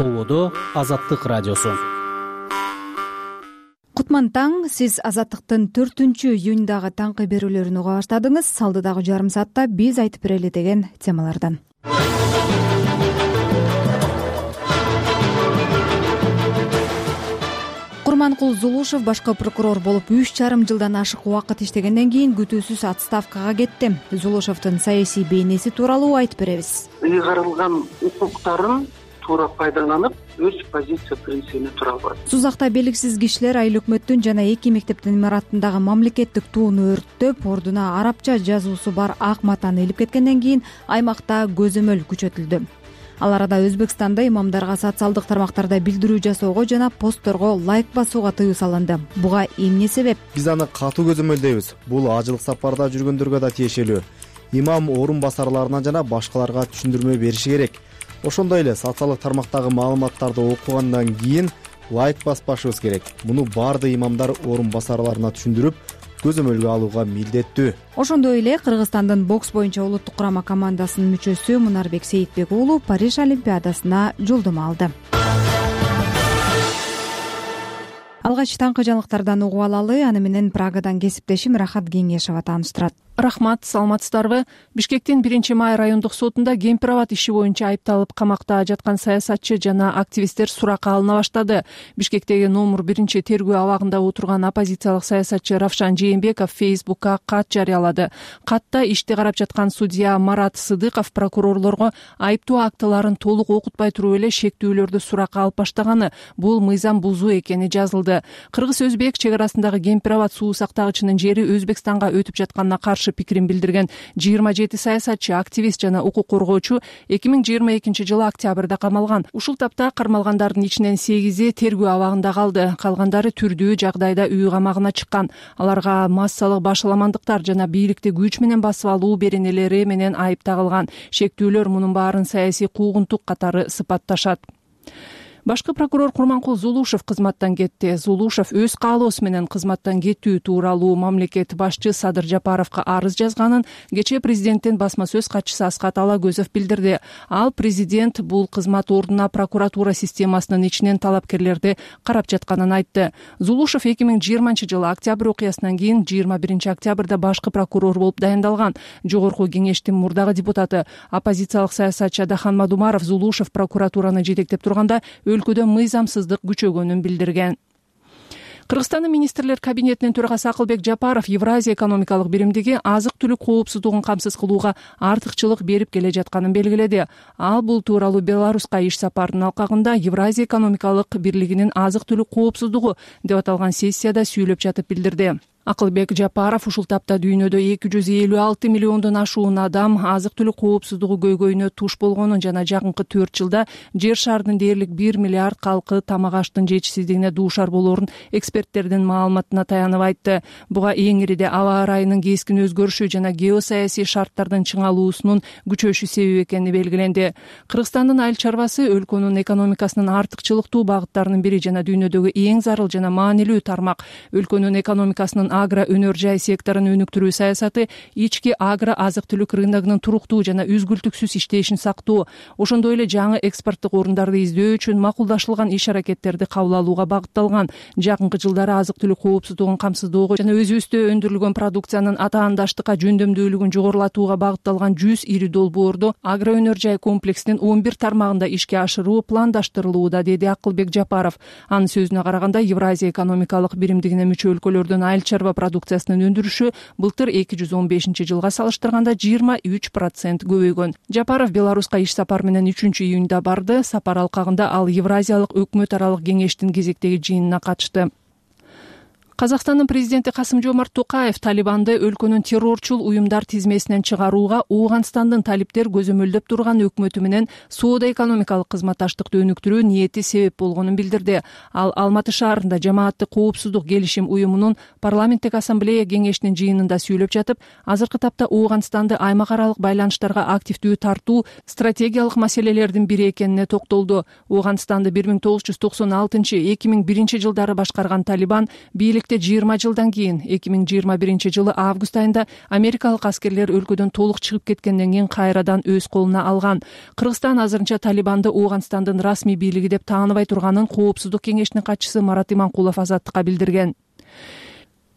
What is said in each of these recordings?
Ободо Азаттык радиосу. Кутман таң, сиз Азаттыктын 4-июндагы таңкы берүүлөрүн уга баштадыңыз. Алдыдагы жарым саатта биз айтып берели деген темалардан. Курманкул Зулушев башкы прокурор болуп 3,5 жылдан ашык убакыт иштегенден кийин күтүүсүз отставкага кетти. Зулушевдин саясий бейнеси тууралуу айтып беребиз. Ыйгарылган укуктарын туура пайдаланып, өз позиция принцибине тура албады. Сузакта белгисиз кишилер айыл өкмөттүн жана 2 мектептин имараттындагы мамлекеттик тууну өрттөп, ордуна арабча жазуусу бар ак матаны илип кеткенден кийин аймакта көзөмөл күчөтүлдү. Ал арада Өзбекстанда имамдарга социалдык тармактарда билдирүү жасоого жана постторго лайк басууга тыюу салынды. Буга эмне себеп? Биз аны катуу көзөмөлдөйбүз. Бул ажылык сапарда жүргөндөргө да тиешелүү. Имам орун басарларына жана башкаларга түшүндүрмө бериши керек. Ошондой эле социалдык тармактагы маалыматтарды окугандан кийин лайк баспашыбыз керек. Муну баардык имамдар орун басарларына түшүндүрүп, көзөмөлгө алууга милдеттүү. Ошондой эле Кыргызстандын бокс боюнча улуттук курама командасынын мүчөсү Мунарбек Сейитбек уулу Париж олимпиадасына жолдомо алды. Алгач таңкы жаңылыктардан угуп алалы. Аны менен Прагадан кесиптешим Рахат Кеңешова тааныштырат. Рахмат, саламатсыздарбы? Бишкектин 1-май райондук сотунда Кемпир-Абад иши боюнча айыпталып камакта жаткан саясатчы жана активисттер суракка алына баштады. Бишкектеги номер 1 тергөө абагында отурган оппозициялык саясатчы Равшан Жээнбеков Фейсбукка кат жарыялады. Катта ишти карап жаткан судья Марат Сыдыков прокурорлорго айыптоо актыларын толук окутпай туруп эле шектүүлөрдү суракка алып баштаганы, бул мыйзам бузуу экени жазылды. Кыргыз-өзбек чек арасындагы Кемпир-Абад суу сактагычынын жери Өзбекстанга өтүп жатканына каршы пикирин билдирген 27 саясатчы, активист жана укук коргоочу 2022 жылы октябрда камалган. Ушул тапта кармалгандардын ичинен 8 тергөө абагында калды. Калгандары түрдүү жагдайда үй камагына чыккан. Аларга массалык башаламандыктар жана бийликти күч менен басып алуу беренелери менен айып тагылган. Шектүүлөр мунун баарын саясий куугунтук катары сыпатташат. Башкы прокурор Курманкул Зулушев кызматтан кетти. Зулушев өз каалоосу менен кызматтан кетүү тууралуу мамлекет башчы Садыр Жапаровго арыз жазганын кечээ президенттин басма сөз катчысы Аскат Алагөзов билдирди. Ал президент бул кызмат ордуна прокуратура системасынын ичинен талапкерлерди карап жатканын айтты. Зулушев 2020 жылы октябрь окуясынан кийин 21 октябрда башкы прокурор болуп дайындалган. Жогорку кеңештин мурдагы депутаты, оппозициялык саясатчы Адахан Мадумаров Зулушев прокуратураны жетектеп турганда өлкөдө мыйзамсыздык күчөгөнүн билдирген. Кыргызстандын министрлер кабинетинин төрагасы Акылбек Жапаров Евразия экономикалык биримдиги азык-түлүк коопсуздугун камсыз кылууга артыкчылык берип келе жатканын белгиледи. Ал бул тууралуу Беларуска иш сапарынын алкагында Евразия экономикалык бирлигинин азык-түлүк коопсуздугу деп аталган сессияда сүйлөп жатып билдирди. Акылбек Жапаров ушул тапта дүйнөдө 256 миллиондон ашуун адам азык-түлүк коопсуздугу көйгөйүнө туш болгонун жана жакынкы 4 жылда жер шарынын дээрлик 1 миллиард калкы тамак аштын жетишсиздигине дуушар болоорун эксперттердин маалыматына таянып айтты. Буга эң ириде аба ырайынын кескин өзгөрүшү жана геосаясий шарттардын чыңалуусунун күчөшү себеп экени белгиленди. Кыргызстандын айыл чарбасы өлкөнүн экономикасынын артыкчылыктуу багыттарынын бири жана дүйнөдөгү эң зарыл жана маанилүү тармак. Өлкөнүн экономикасынын агро өнөр жай секторун өнүктүрүү саясаты ички агро азык-түлүк рыногунун туруктуу жана үзгүлтүксүз иштешин сактоо, ошондой эле жаңы экспорттук орундарды издөө үчүн макулдашылган иш-аракеттерди кабыл алууга багытталган. Жакынкы жылдары азык-түлүк коопсуздугун камсыздоого жана өзүбүздө өндүрүлгөн продукциянын атаандаштыкка жөндөмдүүлүгүн жогорулатууга багытталган 100 ири долбоорду агро өнөр жай комплексинин 11 тармагында ишке ашыруу пландаштырылууда, деди Акылбек Жапаров. Анын сөзүнө караганда Евразия экономикалык биримдигине мүчө өлкөлөрдүн айыл чарба продукциясынын өндүрүшү былтыр 2015 жылга салыштырганда 23% көбөйгөн. Жапаров Беларуска иш сапар менен 3-июнда барды. Сапар алкагында ал Евразиялык өкмөт аралык кеңештин кезектеги жыйынына катышты. Казакстандын президенти Касым-Жомарт Токаев Талибанды өлкөнүн террорчул уюмдар тизмесинен чыгарууга Ооганстандын талиптер көзөмөлдөп турган өкмөтү менен соода-экономикалык кызматташтыкты өнүктүрүү ниети себеп болгонун билдирди. Ал Алматы шаарында жамааттык коопсуздук келишим уюмунун парламенттик ассамблея кеңешинин жыйынында сүйлөп жатып, азыркы тапта Ооганстанды аймак аралык байланыштарга активдүү тартуу стратегиялык маселелердин бири экенине токтолду. Ооганстанды 1996-2001 жылдары башкарган Талибан бийлик кечилекте 20 жылдан кийин 2021-жылы август айында америкалык аскерлер өлкөдөн толук чыгып кеткенден кийин кайрадан өз колуна алган. Кыргызстан азырынча Талибанды Ооганстандын расмий бийлиги деп тааныбай турганын Коопсуздук кеңешинин катчысы Марат Иманкулов Азаттыкка билдирген.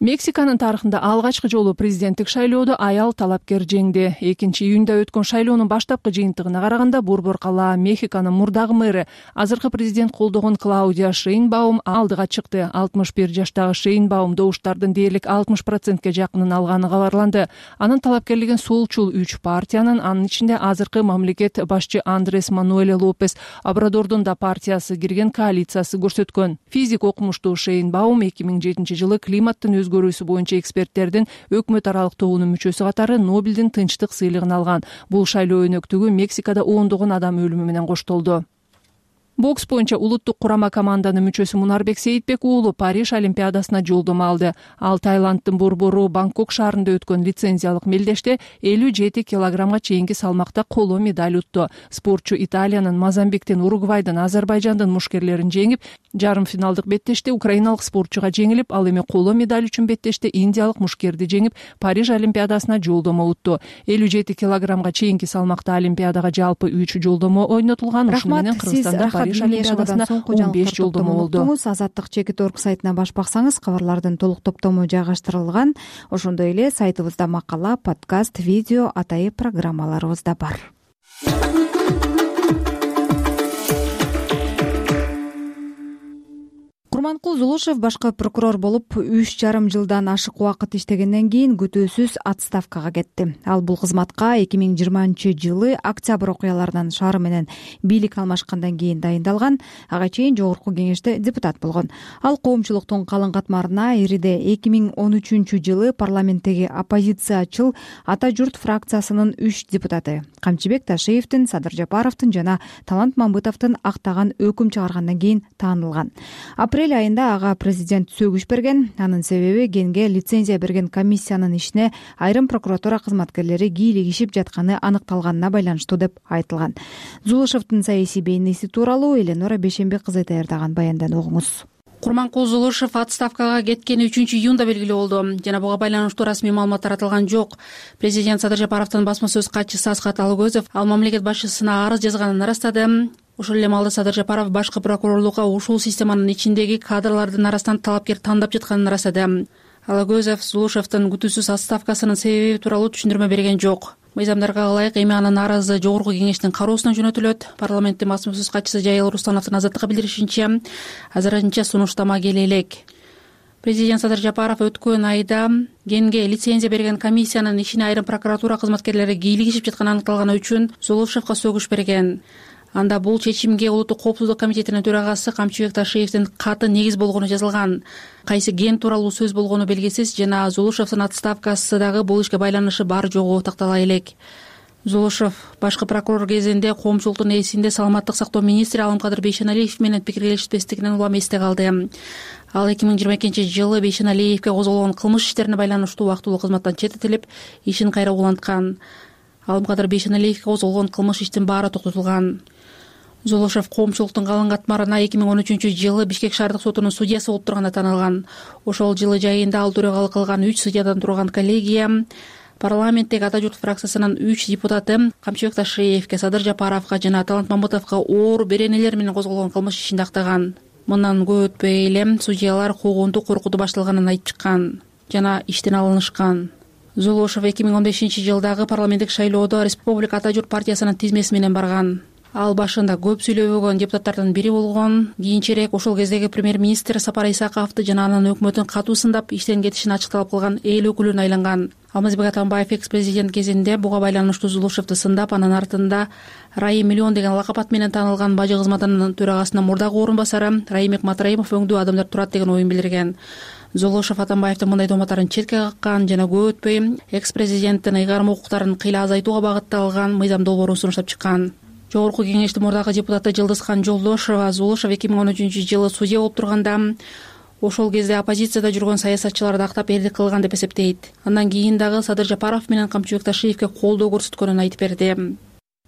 Мексиканын тарыхында алгачкы жолу президенттик шайлоодо аял талапкер жеңди. 2-июнда өткөн шайлоонун баштапкы жыйынтыгына караганда Борбор калаа Мехиконун мурдагы мэрі, азыркы президент колдогон Клаудия Шейнбаум алдыга чыкты. 61 жаштагы Шейнбаум добуштардын дээрлик 60%ке жакынын алганы кабарланды. Анын талапкерлигин солчул 3 партиянын, анын ичинде азыркы мамлекет башчы Андрес Мануэль Лопес Обрадордун да партиясы кирген коалициясы көрсөткөн. Физик окумуштуу Шейнбаум 2007-жылы климаттын өзгөрүүсү боюнча эксперттердин өкмөт аралык тобунун мүчөсү катары Нобелдин тынчтык сыйлыгын алган. Бул шайлоо өнөктүгү Мексикада ондогон адам өлүмү менен коштолду. Бокс боюнча улуттук курама команданын мүчөсү Мунарбек Сейитбек уулу Париж олимпиадасына жолдомо алды. Ал Таиланддын борбору Бангкок шаарында өткөн лицензиялык мелдеште 57 килограммга чейинки салмакта коло медаль утту. Спортчу Италиянын, Мозамбиктин, Уругвайдын, Азербайжандын мушкерлерин жеңип, жарым финалдык беттеште украиналык спортчуга жеңилип, ал эми коло медаль үчүн беттеште индиялык мушкерди жеңип, Париж олимпиадасына жолдомо утту. 57 килограммга чейинки салмакта олимпиадага жалпы 3 жолдомо ойнотулган. Ушуну менен Кыргызстанда Париж олимпиадасына 15 жолдомо болду. Азаттык Чекит.орг сайтына баш баксаңыз, кабарлардын толук топтому жайгаштырылган. Ошондой эле сайтыбызда макала, подкаст, видео, атайын программаларыбыз да бар. Курманкул Зулушев башкы прокурор болуп 3,5 жылдан ашык убакыт иштегенден кийин күтүүсүз отставкага кетти. Ал бул кызматка 2020-жылы октябрь окуяларынан шаары менен бийлик алмашкандан кийин дайындалган. Ага чейин жогорку кеңеште депутат болгон. Ал коомчулуктун калың катмарына ириде 2013-жылы парламенттеги оппозициячыл Ата журт фракциясынын 3 депутаты Камчыбек Ташиевдин, Садыр Жапаровдун жана Талант Мамбытовдун актаган өкүм чыгаргандан кийин таанылган. Апрель айында ага президент сөгүш берген. Анын себеби генге лицензия берген комиссиянын ишине айрым прокуратура кызматкерлери кийлигишип жатканы аныкталганына байланыштуу деп айтылган. Зулушевдин саясий бейнеси тууралуу Эленора Бейшембек кызы даярдаган баяндан угуңуз. Курманкул Зулушев отставкага кеткени 3-июнда белгилүү болду. Жана буга байланыштуу расмий маалымат таратылган жок. Президент Садыр Жапаровдун басма сөз катчысы Асхат Алгөзов ал мамлекет башчысына арыз жазганын ырастады. Ошол эле маалда Садыр Жапаров башкы прокурорлукка ушул системанын ичиндеги кадрлардын арасынан талапкер тандап жатканын ырастады. Алгөзов Зулушевдин күтүүсүз отставкасынын себеби тууралуу түшүндүрмө берген жок. Мыйзамдарга ылайык эми анын арызы жогорку кеңештин кароосуна жөнөтүлөт. Парламенттин басма сөз катчысы Жайыл Рустановдун Азаттыкка билдиришинче, азырынча сунуштама келе элек. Президент Садыр Жапаров өткөн айда генге лицензия берген комиссиянын ишине айрым прокуратура кызматкерлери кийлигишип жатканы аныкталганы үчүн Зулушевго сөгүш берген. Анда бул чечимге Улуттук коопсуздук комитетинин төрагасы Камчыбек Ташиевдин каты негиз болгону жазылган. Кайсы ген тууралуу сөз болгону белгисиз, жана Зулушевдин отставкасы дагы бул ишке байланышы бар жогу тактала элек. Зулушев башкы прокурор кезинде коомчулуктун ээсинде саламаттык сактоо министри Алымкадыр Бейшеналиев менен пикирлешпестигинен улам эсте калды. Ал 2022-жылы Бейшеналиевке козголгон кылмыш иштерине байланыштуу убактылуу кызматтан четтетилип, ишин кайра уланткан. Алымкадыр Бейшеналиевке козголгон кылмыш иштин баары токтотулган. Зулушев коомчулуктун калың катмарына 2013-жылы Бишкек шаардык сотунун судьясы болуп турганы таанылган. Ошол жылы жайында ал төрагалык кылган 3 судьядан турган коллегия парламенттеги Ата журт фракциясынын 3 депутаты Камчыбек Ташиевке, Садыр Жапаровго жана Талант Мамбытовго оор беренелер менен козголгон кылмыш ишинде актаган. Мындан көп өтпөй эле судьялар куугунтук коркутуу башталганын айтып чыккан жана иштен алынышкан. Зулушев 2015-жылдагы парламенттик шайлоодо Республика Ата журт партиясынын тизмеси менен барган. Ал башында көп сүйлөбөгөн депутаттардын бири болгон. Кийинчерээк ошол кездеги премьер-министр Сапар Исаковду жана анын өкмөтүн катуу сындап, иштен кетишин ачыкталып калган эл өкүлүнө айланган. Алмазбек Атамбаев экс-президент кезинде буга байланыштуу Зулушевду сындап, анын артында Райым Миллион деген лакап ат менен таанылган бажы кызматынын төрагасынын мурдагы орун басары Раимбек Матраимов өңдүү адамдар турат деген оюн билдирген. Зулушев Атамбаевдин мындай дооматтарын четке каккан жана көп өтпөй экс-президенттин ыйгарым укуктарын кыйла азайтууга багытталган мыйзам долбоорун сунуштап чыккан. Жогорку кеңештин мурдагы депутаты Жылдызхан Жолдошова Зулушев 2013-жылы судья болуп турганда ошол кезде оппозицияда жүргөн саясатчыларды актап эрдик кылган деп эсептейт. Андан кийин дагы Садыр Жапаров менен Камчыбек Ташиевке колдоо көрсөткөнүн айтып берди.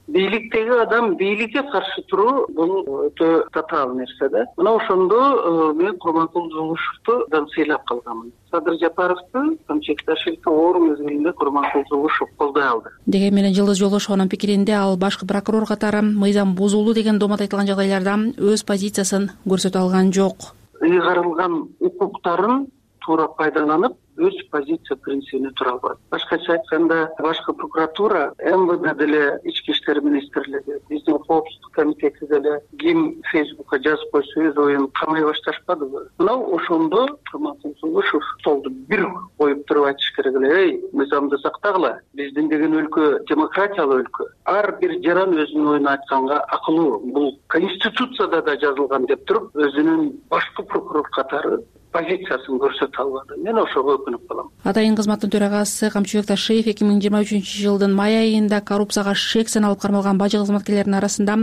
бийликтеги адам бийликке каршы туруу бул өтө татаал нерсе да. Мына ошондо мен Курманкул Зулушевду сыйлап калганмын. Садыр Жапаровду Камчек-Ташкентте оор мезгилинде Курманкул Зулушев колдой алды. Деген менен Жылдыз Жолдошованын пикиринде ал башкы прокурор катары мыйзам бузулду деген доомат айтылган жагдайларда өз позициясын көрсөтө алган жок. Ыйгарылган укуктарын туура пайдаланып, өз позиция принцибине тура албады. Башкача айтканда, башкы прокуратура, МВД деле, Ички иштер министрлиги, биздин коопсуздук комитети деле ким Фейсбукка жазып койсо өз оюн камай башташпадыбы. Мына ошондо Курманкул Зулушев столду бир коюп туруп айтыш керек эле, мыйзамды сактагыла. Биздин деген өлкө демократиялуу өлкө. Ар бир жаран өзүнүн оюн айтканга акылуу. Бул конституцияда да жазылган деп туруп, өзүнүн башкы прокурор катары позициясын көрсөтө албады. Мен ошого өкүнүп калам. Атайын кызматтын төрагасы Камчыбек Ташиев 2023-жылдын май айында коррупцияга шек саналып кармалган бажы кызматкерлеринин арасында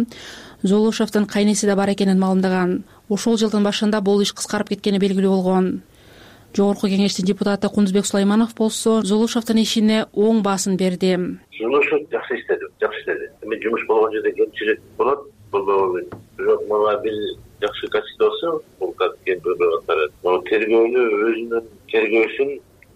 Зулушевдин кайнеси да бар экенин маалымдаган. Ошол жылдын башында бул иш кыскарып кеткени белгилүү болгон. Жогорку кеңештин депутаты Кундузбек Сулайманов болсо Зулушевдин ишине оң баасын берди. Зулушев жакшы иштеди. Мен жумуш болгон жерде кемчилик болот, болбогон. Бирок мага бир жакшы качество болсо, бул катары. Тергөөнү өзүнүн тергөөсүн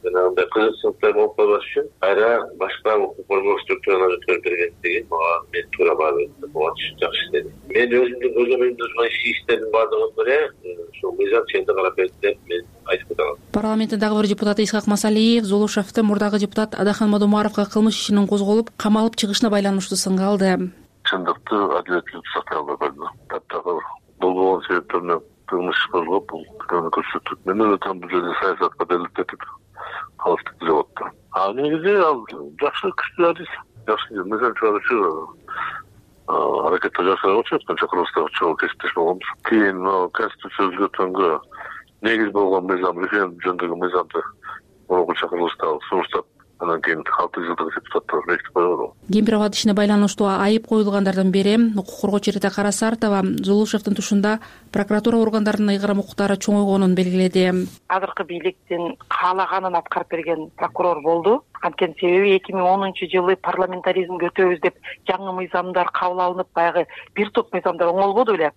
жанагындай кызыкчылыктар болуп калбаш үчүн кайра башка укук коргоо структураларына өткөрүп бергендиги мага мен туура баа берди. Бул жакшы иштеди. Мен өзүмдүн көзөмөлүмдө турган иштердин баардыгын ошол мыйзам ченде карап берди деп мен айтып кете алам. Парламенттин дагы бир депутаты Исхак Масалиев Зулушевди мурдагы депутат Адахан Мадумаровго кылмыш ишинин козголуп, камалып чыгышына байланыштуу сынга алды. Чындыкты адилеттүүлүктү сактай албай калды. Таптагы болгон себептеринен кылмыш козгоп, бул көрсөтүп, мен өзүм бул жерде саясатка делилдетип калыштык деп атты. Негизи ал жакшы күчтүү адис, жакшы мыйзам чыгаруучу аракетти жакшы кылып жаткан чакырылыштагы чогуу кесиптеш болгонбуз. Кийин конституция өзгөрткөнгө негиз болгон мыйзам, референдум жөнүндөгү мыйзамды мурунку чакырылышта сунуштап, андан кийин 6 жылдык депутаттар бекитип койгон. Кемпирабад ишине байланыштуу айып коюлгандардын бири укук коргоочу Рита Карасартова Зулушевдин тушунда прокуратура органдарынын ыйгарым укуктары чоңойгонун белгиледи. Азыркы бийликтин каалаганын аткарып берген прокурор болду. Анткени себеби 2010-жылы парламентаризмге өтөбүз деп жаңы мыйзамдар кабыл алынып, баягы бир топ мыйзамдар оңолбоду беле.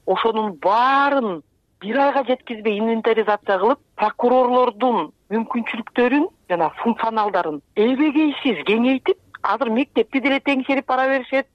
Ошонун баарын бир айга жеткизбей инвентаризация кылып, прокурорлордун мүмкүнчүлүктөрүн жана функционалдарын эбегейсиз кеңейтип, азыр мектепти деле теңшерип бара беришет,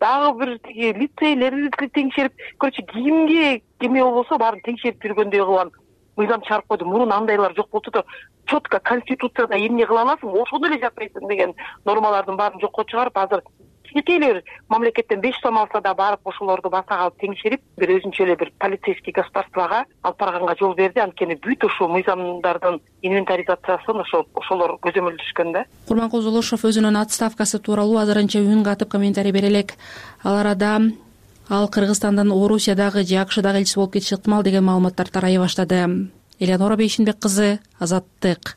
дагы бир лицейлерди теңшерип, короче кимге кеме болбосо баарын теңшерип жүргөндөй кылган мыйзам чыгарып койду. Мурун андайлар жок болчу да, четко конституцияда эмне кыла аласың, ошону эле жасайсың деген нормалардын баарын жокко чыгарып, азыр кичинекейлер мамлекеттен 5 сом алса да барып ошолорду басага алып теңшерип, бир өзүнчө эле бир полицейский государствого алып барганга жол берди. Анткени бүт ушул мыйзамдардын инвентаризациясын ошолор көзөмөлдөшкөн да. Курманкул Зулушев өзүнүн отставкасы тууралуу азырынча үн катып комментарий бере элек. Ал арада ал Кыргызстандан Орусиядагы же АКШдагы элчиси болуп кетиши ыктымал деген маалыматтар тарай баштады. Элеонора Бейшинбек кызы, Азаттык.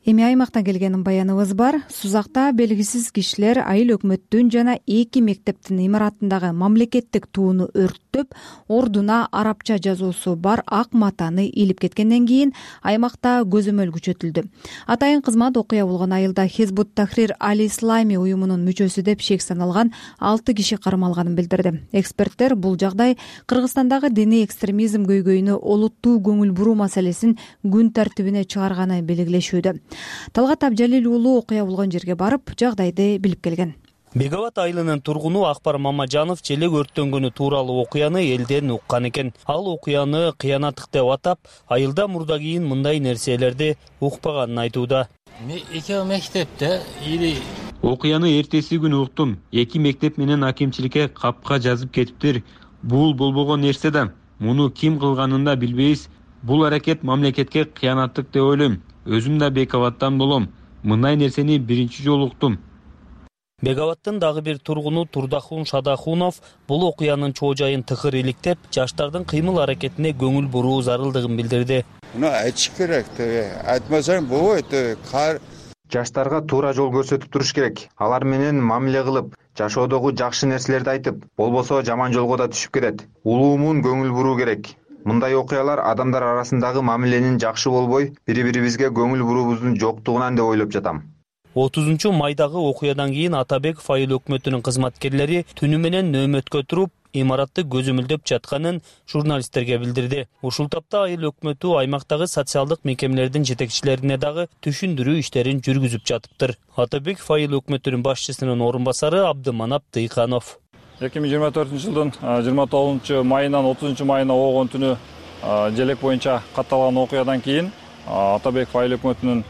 Эми аймактан келген баяныбыз бар. Сузакта белгисиз кишилер айыл өкмөттүн жана 2 мектептин имаратындагы мамлекеттик тууну өрттөп, ордуна арабча жазуусу бар ак матаны илип кеткенден кийин аймакта көзөмөл күчөтүлдү. Атайын кызмат окуя болгон айылда Хизбут Тахрир Аль-Ислами уюмунун мүчөсү деп шек саналган 6 киши кармалганын билдирди. Эксперттер бул жагдай Кыргызстандагы диний экстремизм көйгөйүнө олуттуу көңүл буруу маселесин күн тартибине чыгарганын белгилешүүдө. Талгат Абжалил уулу окуя болгон жерге барып, жагдайды билип келген. Бегабад айылынын тургуну Акбар Мамажанов челек өрттөнгөнү тууралуу окуяны элден уккан экен. Ал окуяны кыянаттык деп атап, айылда мурда кийин мындай нерселерди укпаганын айтууда. Экөө мектепте окуяны эртеси күнү уктум. 2 мектеп менен акимчиликке капка жазып кетиптир. Бул болбогон нерсе да. Муну ким кылганын да билбейбиз. Бул аракет мамлекетке кыянаттык деп ойлойм. Өзүм да Бекабадтан болом. Мындай нерсени биринчи жолу уктум. Бегабадтын дагы бир тургуну Турдахун Шадахунов бул окуянын чоо жайын тыкыр иликтеп, жаштардын кыймыл аракетине көңүл буруу зарылдыгын билдирди. Муну айтыш керек. Айтмасаң болбойт. Жаштарга туура жол көрсөтүп туруш керек. Алар менен мамиле кылып, жашоодогу жакшы нерселерди айтып, болбосо жаман жолго да түшүп кетет. Улуумун көңүл буруу керек. Мындай окуялар адамдар арасындагы мамиленин жакшы болбой, бири-бирибизге көңүл буруубуздун жоктугунан деп ойлоп жатам. 30 майдагы окуядан кийин Атабеков айыл өкмөтүнүн кызматкерлери түнү менен нөөмөткө туруп, имаратты көзөмөлдөп жатканын журналисттерге билдирди. Ушул тапта айыл өкмөтү аймактагы социалдык мекемелердин жетекчилерине дагы түшүндүрүү иштерин жүргүзүп жатыптыр. Атабеков айыл өкмөтүнүн башчысынын орун басары Абдыманап Дыйканов. 2024 жылдын 29 майынан 30 майына болгон түнү желек боюнча катталган окуядан кийин Атабеков айыл өкмөтүнүн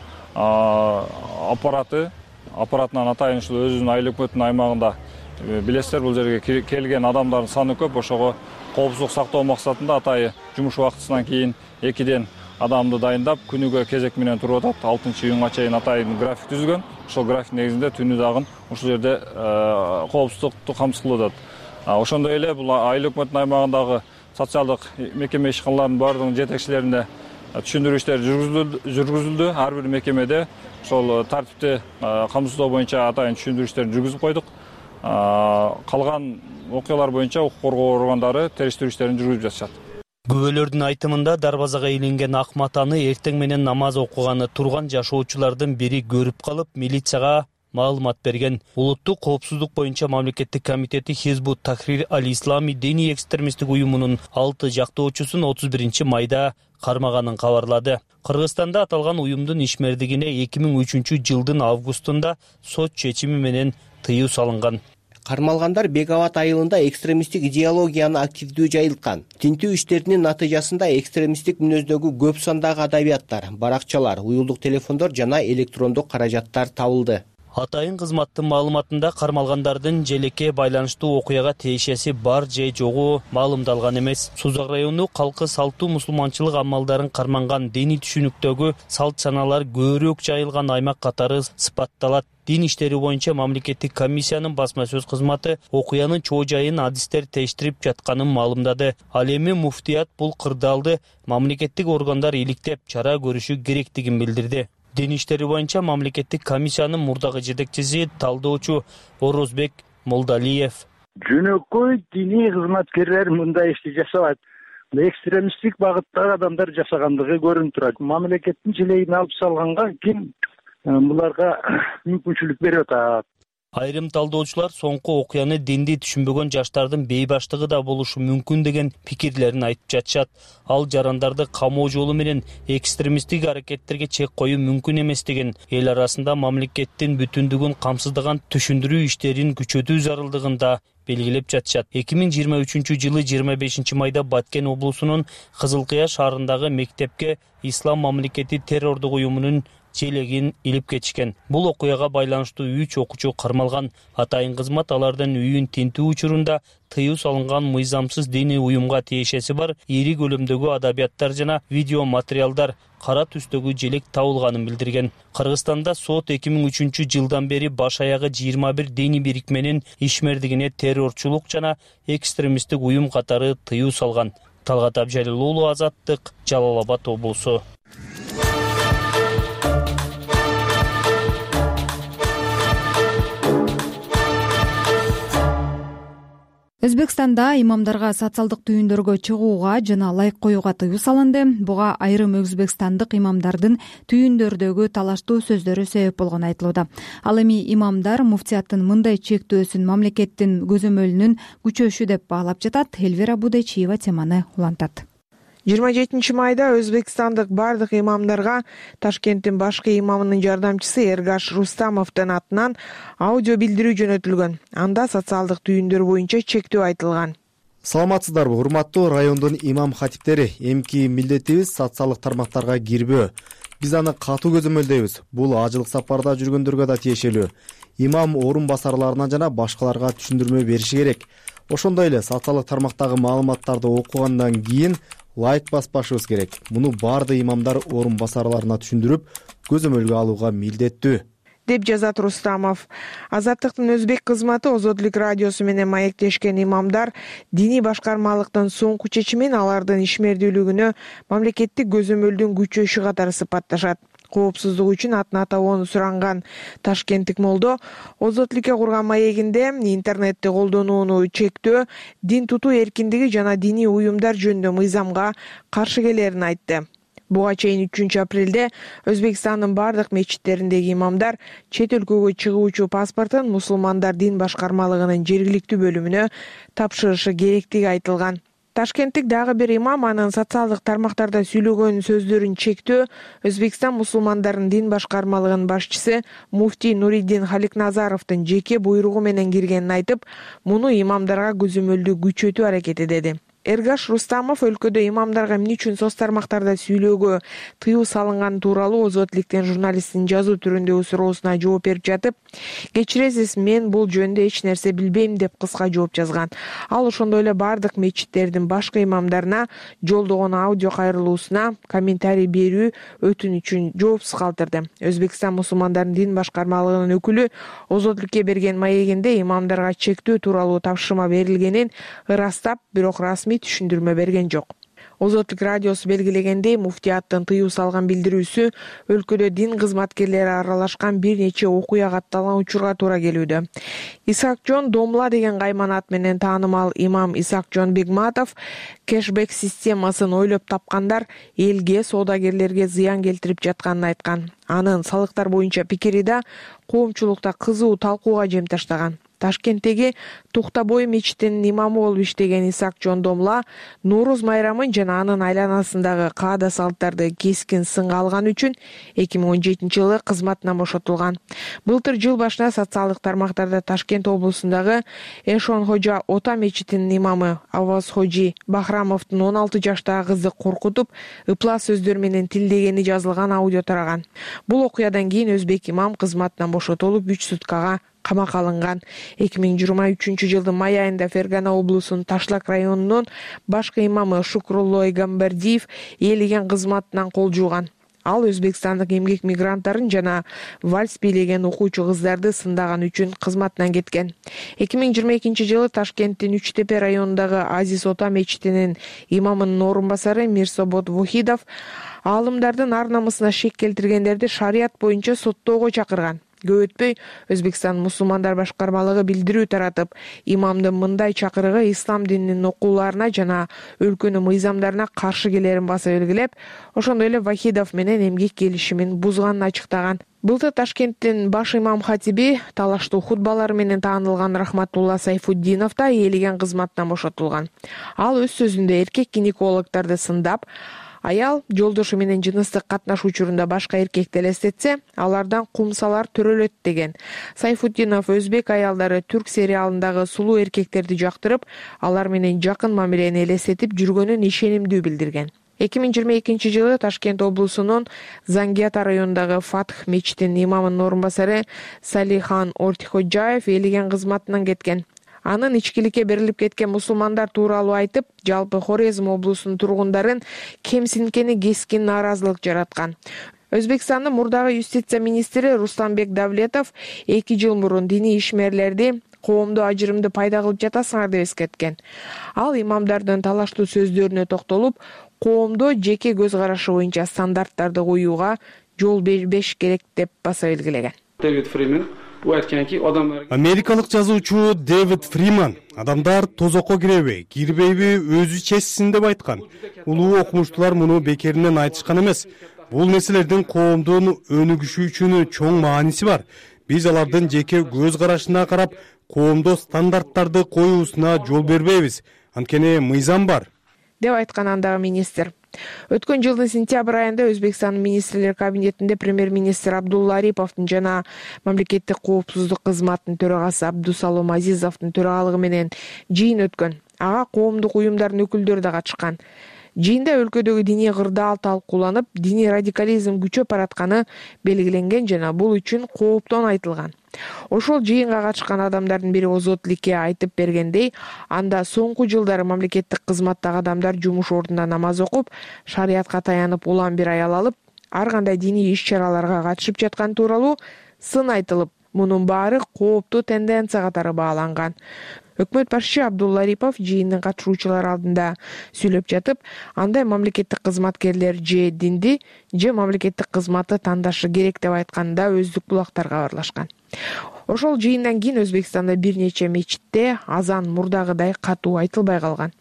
аппаратынан атайын ушул өзүнүн айыл өкмөтүнүн аймагында билесиздер, бул жерге келген адамдардын саны көп. Ошого коопсуздук сактоо максатында атайын жумуш убактысынан кийин 2ден адамды дайындап, күнүгө кезек менен туруп атат. 6-июнга чейин атайын график түзүлгөн. Ошол график негизинде түнү дагы ушул жерде коопсуздукту камсыз кылып атат. Ошондой эле бул айыл өкмөтүнүн аймагындагы социалдык мекеме ишканаларынын баардыгынын жетекчилерине түшүндүрүү иштери жүргүзүлдү. Ар бир мекемеде ошол тартипти камсыздоо боюнча атайын түшүндүрүү иштерин жүргүзүп койдук. Калган окуялар боюнча укук коргоо органдары териштирүү иштерин жүргүзүп жатышат. Күбөлөрдүн айтымында дарбазага илинген ак матаны эртең менен намаз окуганы турган жашоочулардын бири көрүп калып, милицияга маалымат берген. Улуттук коопсуздук боюнча мамлекеттик комитети Хизбут Тахрир Аль-Ислами диний экстремисттик уюмунун 6 жактоочусун 31 майда кармаганын кабарлады. Кыргызстанда аталган уюмдун ишмердигине 2003 жылдын августунда сот чечими менен тыюу салынган. Кармалгандар Беговат айылында экстремисттик идеологияны активдүү жайылткан. Тинтүү иштеринин натыйжасында экстремисттик мүнөздөгү көп сандагы адабияттар, баракчалар, уюлдук телефондор жана электрондук каражаттар табылды. Атайын кызматтын маалыматында кармалгандардын желекке байланыштуу окуяга тиешеси бар же жогу маалымдалган эмес. Сузак району калкы салтуу мусулманчылык амалдарын карманган диний түшүнүктөгү салт саналар көбүрөөк жайылган аймак катары сыпатталат. Дин иштери боюнча мамлекеттик комиссиянын басма сөз кызматы окуянын чоо жайын адистер тештирип жатканын маалымдады. Ал эми муфтият бул кырдаалды мамлекеттик органдар иликтеп чара көрүшү керектигин билдирди. Дин иштери боюнча мамлекеттик комиссиянын мурдагы жетекчиси талдоочу Орозбек Молдалиев. Жөнөкөй диний кызматкерлер мындай ишти жасабайт. Экстремисттик багыттагы адамдар жасагандыгы көрүнүп турат. Мамлекеттин желегин алып салганга ким буларга мүмкүнчүлүк берип атат. Айрым талдоочулар соңку окуяны динди түшүнбөгөн жаштардын бейбаштыгы да болушу мүмкүн деген пикирлерин айтып жатышат. Ал жарандарды камоо жолу менен экстремисттик аракеттерге чек коюу мүмкүн эместигин, эл арасында мамлекеттин бүтүндүгүн камсыздаган түшүндүрүү иштерин күчөтүү зарылдыгын да белгилеп жатышат. 2023 жылы 25 майда Баткен облусунун Кызыл Кыя шаарындагы мектепке Ислам мамлекети террордук уюмунун желегин илип кетишкен. Бул окуяга байланыштуу 3 окуучу кармалган. Атайын кызмат алардын үйүн тинтүү учурунда тыюу салынган мыйзамсыз диний уюмга тиешеси бар ири көлөмдөгү адабияттар жана видео материалдар кара түстөгү желек табылганын билдирген. Кыргызстанда сот 2003 жылдан бери баш аягы 21 диний бирикменин ишмердигине террорчулук жана экстремисттик уюм катары тыюу салган. Талгат Абжалил уулу, Азаттык, Жалал Абад облусу. Өзбекстанда имамдарга социалдык түйүндөргө чыгууга жана лайк коюуга тыюу салынды. Буга айрым өзбекстандык имамдардын түйүндөрдөгү талаштуу сөздөрү себеп болгону айтылууда. Ал эми имамдар муфтияттын мындай чектөөсүн мамлекеттин көзөмөлүнүн күчөшү деп баалап жатат. Элвира Будайчиева теманы улантат. 27 майда өзбекстандык бардык имамдарга Ташкенттин башкы имамынын жардамчысы Эргаш Рустамовдун атынан аудио билдирүү жөнөтүлгөн. Анда социалдык түйүндөр боюнча чектөө айтылган. Саламатсыздарбы, урматтуу райондун имам хатиптери? Эмки милдетибиз социалдык тармактарга кирбөө. Биз аны катуу көзөмөлдөйбүз. Бул ажылык сапарда жүргөндөргө да тиешелүү. Имам орун басарларына жана башкаларга түшүндүрмө бериши керек. Ошондой эле социалдык тармактагы маалыматтарды окугандан кийин лайк баспашыбыз керек. Муну баардык имамдар орун басарларына түшүндүрүп, көзөмөлгө алууга милдеттүү, деп жазат Рустамов. Азаттыктын өзбек кызматы Озодлук радиосу менен маектешкен имамдар диний башкармалыктын соңку чечимин алардын ишмердүүлүгүнө мамлекеттик көзөмөлдүн күчөшү катары сыпатташат. Коопсуздук үчүн атын атабоону суранган ташкенттик молдо озотлукке курган маегинде интернетти колдонууну чектөө, дин тутуу эркиндиги жана диний уюмдар жөнүндө мыйзамга каршы келерин айтты. Буга чейин 3 апрелде Өзбекстандын бардык мечиттериндеги имамдар чет өлкөгө чыгуучу паспортун мусулмандар дин башкармалыгынын жергиликтүү бөлүмүнө тапшырышы керектиги айтылган. Ташкенттик дагы бир имам анын социалдык тармактарда сүйлөгөн сөздөрүн чектөө Өзбекстан мусулмандарынын дин башкармалыгынын башчысы муфтий Нуриддин Халикназаровдун жеке буйругу менен киргенин айтып, муну имамдарга көзөмөлдүү күчөтүү аракети деди. Эргаш Рустамов өлкөдө имамдарга эмне үчүн соц тармактарда сүйлөөгө тыюу салынганы тууралуу Озотлуктен журналисттин жазуу түрүндөгү суроосуна жооп берип жатып, кечиресиз, мен бул жөнүндө эч нерсе билбейм деп кыска жооп жазган. Ал ошондой эле бардык мечиттердин башкы имамдарына жолдогон аудио кайрылуусуна комментарий берүү өтүнүчүн жоопсуз калтырды. Өзбекстан мусулмандарынын дин башкармалыгынын өкүлү Озотлукке берген маегинде имамдарга чектөө тууралуу тапшырма берилгенин ырастап, бирок расмий түшүндүрмө берген жок. Озотлук радиосу белгилегендей, муфтияттын тыюу салган билдирүүсү өлкөдө дин кызматкерлери аралашкан бир нече окуя катталган учурга туура келүүдө. Исакжон Домла деген кайман ат менен таанымал имам Исакжон Бегматов кэшбэк системасын ойлоп тапкандар элге, соодагерлерге зыян келтирип жатканын айткан. Анын салыктар боюнча пикири да коомчулукта кызуу талкууга жем таштаган. Ташкенттеги Туктабой мечитинин имамы болуп иштеген Исакжон Домла Нооруз майрамын жана анын айланасындагы каада салттарды кескин сынга алган үчүн 2017-жылы кызматынан бошотулган. Былтыр жыл башында социалдык тармактарда Ташкент облусундагы Эшон Хожа Ота мечитинин имамы Аваз Хожи Бахрамовдун 16 жаштагы кызды коркутуп, ыплас сөздөр менен тилдегени жазылган аудио тараган. Бул окуядан кийин өзбек имам кызматынан бошотулуп 3 суткага камакка алынган. 2023-жылдын май айында Фергана облусунун Ташлак районунун башкы имамы Шукрулло Гамбардиев ээлеген кызматынан кол жууган. Ал өзбекстандык эмгек мигранттарын жана вальс бийлеген окуучу кыздарды сындаган үчүн кызматынан кеткен. 2022-жылы Ташкенттин Үч Тепе районундагы Азиз Ота мечитинин имамынын орун басары Мирсобот Вухидов аалымдардын ар намысына шек келтиргендерди шарият боюнча соттоого чакырган. Көп өтпөй Өзбекстан мусулмандар башкармалыгы билдирүү таратып, имамдын мындай чакырыгы ислам дининин окууларына жана өлкөнүн мыйзамдарына каршы келерин баса белгилеп, ошондой эле Вахидов менен эмгек келишимин бузганын ачыктаган. Былтыр Ташкенттин баш имам хатиби талаштуу хутбалары менен таанылган Рахматулла Сайфуддинов да ээлеген кызматтан бошотулган. Ал өз сөзүндө эркек гинекологдорду сындап, аял жолдошу менен жыныстык катнаш учурунда башка эркекти элестетсе, алардан кумсалар төрөлөт деген. Сайфуддинов өзбек аялдары түрк сериалындагы сулуу эркектерди жактырып, алар менен жакын мамилени элестетип жүргөнүн ишенимдүү билдирген. 2022-жылы Ташкент облусунун Зангиата районундагы Фатх мечитинин имамынын орун басары Салихан Ортиходжаев ээлеген кызматынан кеткен. Анын ичкиликке берилип кеткен мусулмандар тууралуу айтып, жалпы Хорезм облусунун тургундарын кемсинткени кескин нааразылык жараткан. Өзбекстандын мурдагы юстиция министри Рустамбек Давлетов 2 жыл мурун диний ишмерлерди коомдо ажырымды пайда кылып жатасыңар деп эскерткен. Ал имамдардын талаштуу сөздөрүнө токтолуп, коомдо жеке көз карашы боюнча стандарттарды коюуга жол бербеш керек деп баса белгилеген. Америкалык жазуучу Дэвид Фриман адамдар тозокко киреби, кирбейби өзү чечсин деп айткан. Улуу окумуштуулар муну бекеринен айтышкан эмес. Бул нерселердин коомдун өнүгүшү үчүн чоң мааниси бар. Биз алардын жеке көз карашына карап, коомдо стандарттарды коюусуна жол бербейбиз. Анткени мыйзам бар деп айткан андагы министр. Өткөн жылдын сентябрь айында Өзбекстандын министрлер кабинетинде премьер-министр Абдулла Ариповдун жана мамлекеттик коопсуздук кызматынын төрагасы Абдусалом Азизовдун төрагалыгы менен жыйын өткөн. Ага коомдук уюмдардын өкүлдөрү да катышкан. Жыйында өлкөдөгү диний кырдаал талкууланып, диний радикализм күчөп баратканы белгиленген жана бул үчүн кооптон айтылган. Ошол жыйынга катышкан адамдардын бири Озотлукке айтып бергендей, анда соңку жылдары мамлекеттик кызматтагы адамдар жумуш ордунда намаз окуп, шариятка таянып улам бир аял алып, ар кандай диний иш-чараларга катышып жаткан тууралуу сын айтылып, мунун баары кооптуу тенденция катары бааланган. өкмөт башчы Абдулла Арипов жыйындын катышуучулары алдында сүйлөп жатып, андай мамлекеттик кызматкерлер же динди же мамлекеттик кызматты тандашы керек деп айтканда өздүк булактарга баарлашкан. Ошол жыйындан кийин Өзбекстанда бир нече мечитте азан мурдагыдай катуу айтылбай калган.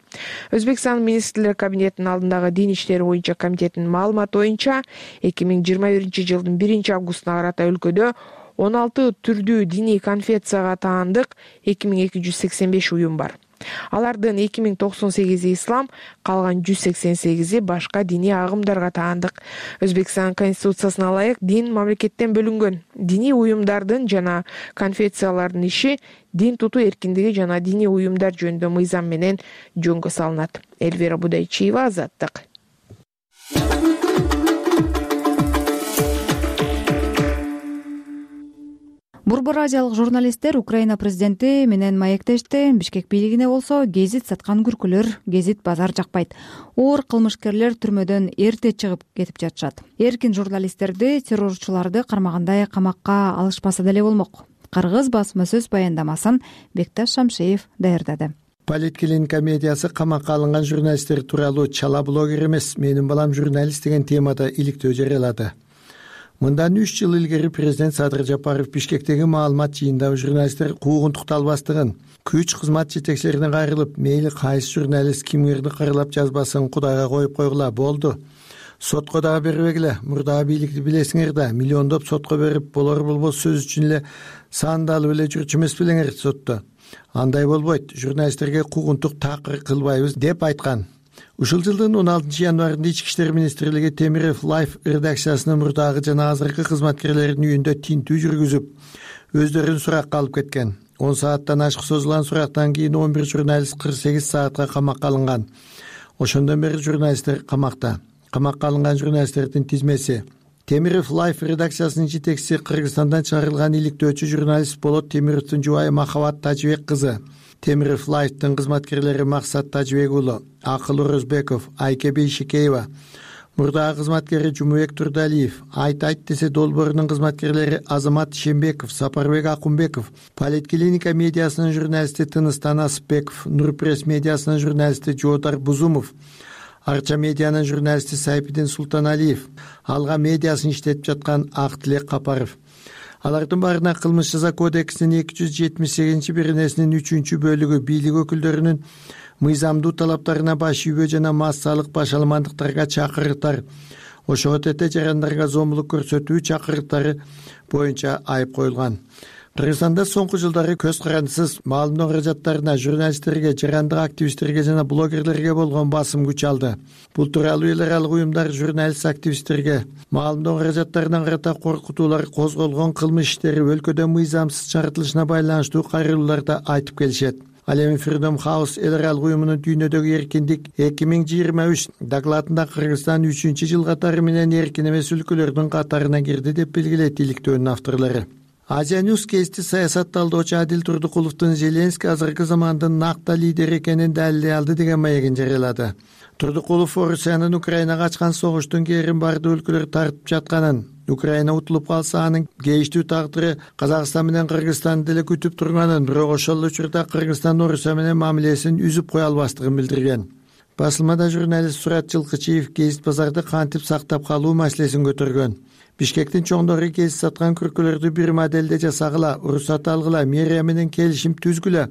Өзбекстан министрлер кабинетинин алдындагы дин иштери боюнча комитетинин маалыматы боюнча 2021 жылдын 1 августуна карата өлкөдө 16 түрдүү диний конфессияга таандык 2285 уюм бар. Алардын 2098 ислам, калган 188 башка диний агымдарга таандык. Өзбекстан конституциясына ылайык дин мамлекеттен бөлүнгөн. Диний уюмдардын жана конфессиялардын иши дин тутуу эркиндиги жана диний уюмдар жөнүндө мыйзам менен жөнгө салынат. Эльвира Будайчиева, Азаттык. Борбор азиялык журналисттер Украина президенти менен маектешти. Бишкек бийлигине болсо гезит саткан күркүлөр, гезит базар жакпайт. Оор кылмышкерлер түрмөдөн эрте чыгып кетип жатышат. Эркин журналисттерди террорчуларды кармагандай камакка алышпаса деле болмок. Кыргыз басма сөз баяндамасын Бекташ Шамшеев даярдады. Политклиника медиасы камакка алынган журналисттер тууралуу чала блогер эмес, менин балам журналист деген темада иликтөө жарыялады. Мындан 3 жыл илгери президент Садыр Жапаров Бишкектеги маалымат жыйында журналисттер куугунтукталбастыгын, күч кызмат жетекчилерине кайрылып, мейли кайсы журналист кимдерди кырлап жазбасын Кудайга коюп койгула болду. Сотко дагы бербегиле, мурдагы бийликти билесиңер да, миллиондоп сотко берип, болор-болбос сөз үчүн эле сандалып эле жүрчү эмес белеңер сотто. Андай болбойт, журналисттерге куугунтук такыр кылбайбыз деп айткан. Ушул жылдын 16 январында Ички иштер министрлиги Темиров Life редакциясынын мурдагы жана азыркы кызматкерлеринин үйүндө тинтүү жүргүзүп, өздөрүн суракка алып кеткен. 10 сааттан ашык созулган сурактан кийин 11 журналист 48 саатка камакка алынган. Ошондон бери журналисттер камакта. Камакка алынган журналисттердин тизмеси: Темиров Life редакциясынын жетекчиси Кыргызстандан чыгарылган иликтөөчү журналист Болот Темировдун жубайы Махабат Тажибек кызы, Темиров Лайфтын кызматкерлери Максат Тажибек уулу, Акыл Орозбеков, Айке Бейшикеева, мурдагы кызматкери Жумубек Турдалиев, Айт десе долбоорунун кызматкерлери Азамат Шембеков, Сапарбек Акунбеков, Политклиника медиасынын журналисти Тыныс Танасбеков, Нурпресс медиасынын журналисти Жоодар Бузумов, Арча медианын журналисти Сайпидин Султаналиев, Алга медиасын иштетип жаткан Актилек Капаров. Алардын баарына кылмыш жаза кодексинин 278-беренесинин 3-бөлүгү бийлик өкүлдөрүнүн мыйзамдуу талаптарына баш ийбөө жана массалык баш алмандыктарга чакырыктар, ошого тете жарандарга зомбулук көрсөтүү чакырыктары боюнча айып коюлган. Кыргызстанда соңку жылдары көз карандысыз маалымдоо каражаттарына журналисттерге, жарандык активисттерге жана блогерлерге болгон басым күч алды. Бул тууралуу эл аралык уюмдар журналист активисттерге маалымдоо каражаттарына карата коркутуулар козголгон кылмыш иштери өлкөдө мыйзамсыз чарытылышына байланыштуу кайрылууларда айтып келишет. Ал эми Freedom House эл аралык уюмунун дүйнөдөгү эркиндик 2023 докладында Кыргызстан 3-жыл катары менен эркин эмес өлкөлөрдүн катарына кирди деп белгилейт иликтөөнүн авторлору. Азия Ньюс гезити саясат талдоочу Адил Турдукуловдун Зеленский азыркы замандын накта лидери экенин далилдей алды деген маегин жарыялады. Турдукулов Орусиянын Украинага ачкан согуштун кээрин бардык өлкөлөр тартып жатканын, Украина утулуп калса анын кейиштүү тагдыры Казакстан менен Кыргызстанды деле күтүп турганын, бирок ошол учурда Кыргызстан Орусия менен мамилесин үзүп кое албастыгын билдирген. Басылмада журналист Сурат Жылкычиев гезит базарды кантип сактап калуу маселесин көтөргөн. Бишкектин чоңдору гезит саткан күркөлөрдү бир моделде жасагыла, уруксат алгыла, мэрия менен келишим түзгүлө.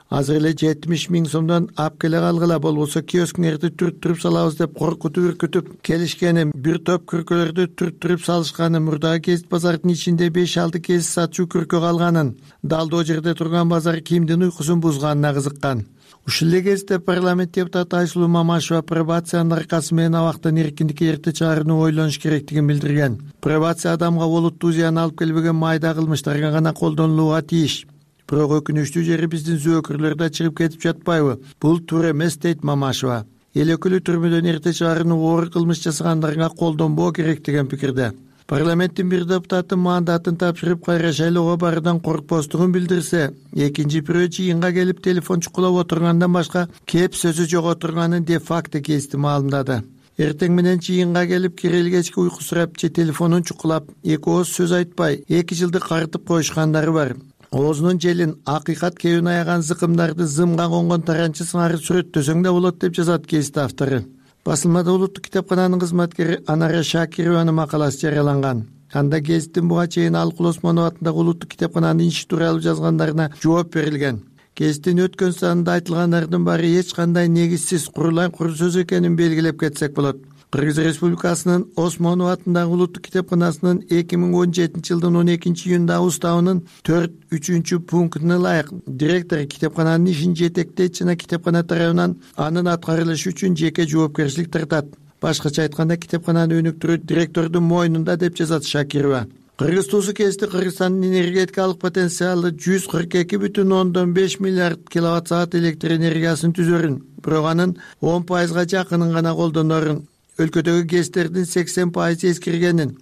Азыр эле 70 000 сомдон ап келе калгыла, болбосо киоскңерди түрттүрүп салабыз деп коркутуп үркүтүп келишкеним, бир топ күркөлөрдү түрттүрүп салышканы, мурдагы гезит базардын ичинде 5-6 гезит сатчу күркө калганын, далдоо жерде турган базар кимдин уйкусун бузганына кызыккан. Ушул эле кезде парламент депутаты Айсулуу Мамашева пробациянын аркасы менен абактан эркиндикке эрте чыгарууну ойлонуш керектигин билдирген. Пробация адамга олуттуу зыян алып келбеген майда кылмыштарга гана колдонулууга тийиш. Бирок өкүнүчтүү жери биздин зөөкүрлөр да чыгып кетип жатпайбы? Бул туура эмес дейт Мамашева. Эл өкүлү түрмөдөн эрте чыгарууну оор кылмыш жасагандарга колдонбоо керек деген пикирде. Парламенттин бир депутаты мандатын тапшырып кайра шайлоого баруудан коркпостугун билдирсе, экинчи бирөө жыйынга келип телефон чукулап отургандан башка кеп сөзү жок отурганын де факты гезити маалымдады. Эртең менен жыйынга келип кирели кечки уйку сурап же телефонун чукулап, эки ооз сөз айтпай 2 жылды карытып коюшкандары бар. оозунун желин акыйкат кебин аяган зыкымдарды зымга конгон таранчы сыңары сүрөттөсөң да болот деп жазат кест автору. Басылмада улуттук китепкананын кызматкери Анара Шакированын макаласы жарыяланган. Анда гезиттин буга чейин Алыкул Осмонов атындагы улуттук китепкананын иши тууралуу жазгандарына жооп берилген. Гезиттин өткөн санында айтылгандардын баары эч кандай негизсиз курулай кур сөз экенин белгилеп кетсек болот. Кыргыз Республикасынын Осмонов атындагы улуттук китепканасынын 2017-жылдын 12-июндагы уставынын 4-3 пунктуна ылайык директор китепкананын ишин жетектейт жана китепкана тарабынан анын аткарылышы үчүн жеке жоопкерчилик тартат. Башкача айтканда китепкананы өнүктүрүү директордун мойнунда деп жазат Шакирова. Кыргыз туусу кести Кыргызстандын энергетикалык потенциалы 142,5 миллиард киловатт саат электр энергиясын түзөрүн, бирок анын 10% жакынын гана колдонорун, өлкөдөгү гэстердин 80% эскиргенин,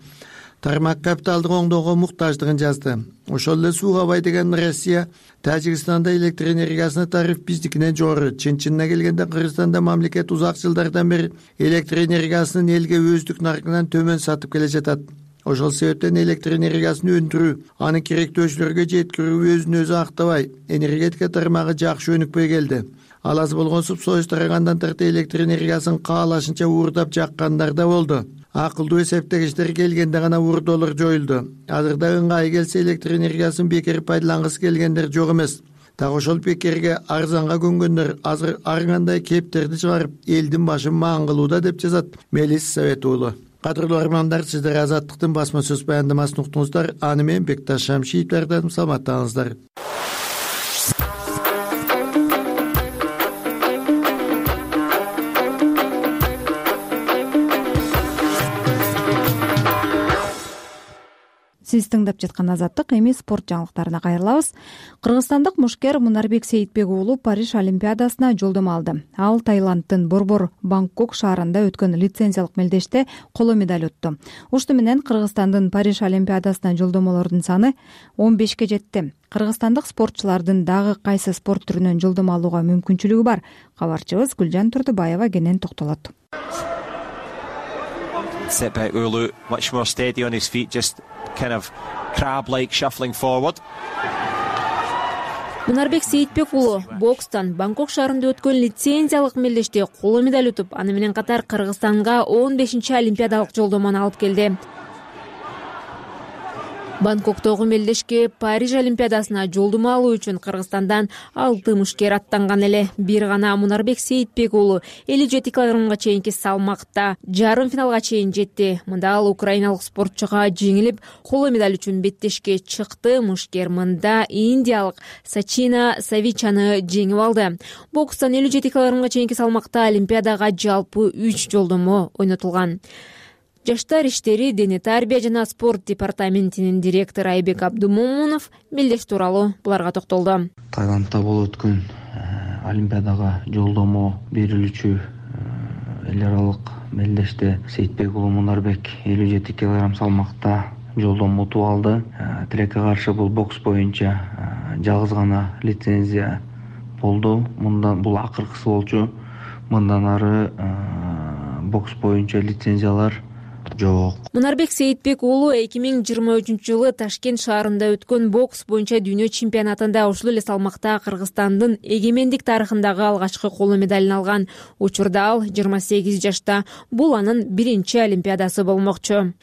тармак капиталдык оңдоого муктаждыгын жазды. Ошол эле сууга бай деген Россия Тажикстанда электр энергиясына тариф биздикинен жогору. Чын-чынына келгенде Кыргызстанда мамлекет узак жылдардан бери электр энергиясынын элге өздүк наркынан төмөн сатып келе жатат. Ошол себептен электр энергиясын өндүрүү, аны керектөөчүлөргө жеткирүү өзүн өзү актабай, энергетика тармагы жакшы өнүкпөй келди. Ал аз болгон субсидия тарагандан тарта электр энергиясын каалашынча уурдап жаккандар да болду. Акылдуу эсептегичтер келгенде гана уурдоолор жоюлду. Азырда ыңгай келсе электр энергиясын бекер пайдалангысы келгендер жок эмес. Так ошол бекерге арзанга көнгөндөр азыр ар кандай кептерди чыгарып элдин башын маан кылууда деп жазат Мелис Совет уулу. Кадырлуу армандар, сиздер Азаттыктын басма сөз баяндамасын уктуңуздар. Аны мен Бекташ Шамшиев даярдадым. Саламаттаңыздар. Сиз тыңдап жаткан Азаттык, эми спорт жаңылыктарына кайрылабыз. Кыргызстандык мушкер Мунарбек Сейитбек уулу Париж Олимпиадасына жолдомо алды. Ал Таиландтын Борбор Бангкок шаарында өткөн лицензиялык мелдеште коло медаль утту. Ушуну менен Кыргызстандын Париж Олимпиадасына жолдомолордун саны 15ке жетти. Кыргызстандык спортчулардын дагы кайсы спорт түрүнөн жолдомо алууга мүмкүнчүлүгү бар? Кабарчыбыз Гүлжан Турдубаева кенен токтолот. Setback Ulu, much more steady on his feet, just kind of crab-like shuffling forward. Мунарбек Сейитбек уулу бокстан Бангкок шаарында өткөн лицензиялык мелдеште коло медаль утуп, аны менен катар Кыргызстанга 15-чи олимпиадалык жолдомону алып келди. Бангкоктогу мелдешке Париж Олимпиадасына жолдомо алуу үчүн Кыргызстандан 6 мушкер аттанган эле. Бир гана Мунарбек Сейитбек уулу 57 килограммга чейинки салмакта жарым финалга чейин жетти. Мында ал украиналык спортчуга жеңилип, коло медаль үчүн беттешке чыкты. Мушкер мында индиялык Сачина Савичаны жеңип алды. Бокстан 57 килограммга чейинки салмакта олимпиадага жалпы 3 жолдомо ойнотулган. Жаштар иштери, дене тарбия жана спорт департаментинин директору Айбек Абдумомунов мелдеш тууралуу буларга токтолду. Таиландда болуп өткөн олимпиадага жолдомо берилүүчү эл аралык мелдеште Сейитбек уулу Мунарбек 57 килограмм салмакта жолдомо утуп алды. Тилекке каршы бул бокс боюнча жалгыз гана лицензия болду. Мындан бул акыркысы болчу. Мындан ары бокс боюнча лицензиялар жок. Мунарбек Сейитбек уулу 2023-жылы Ташкент шаарында өткөн бокс боюнча дүйнө чемпионатында ушул эле салмакта Кыргызстандын эгемендик тарыхындагы алгачкы коло медалын алган. Учурда ал 28 жашта. Бул анын биринчи олимпиадасы болмокчу.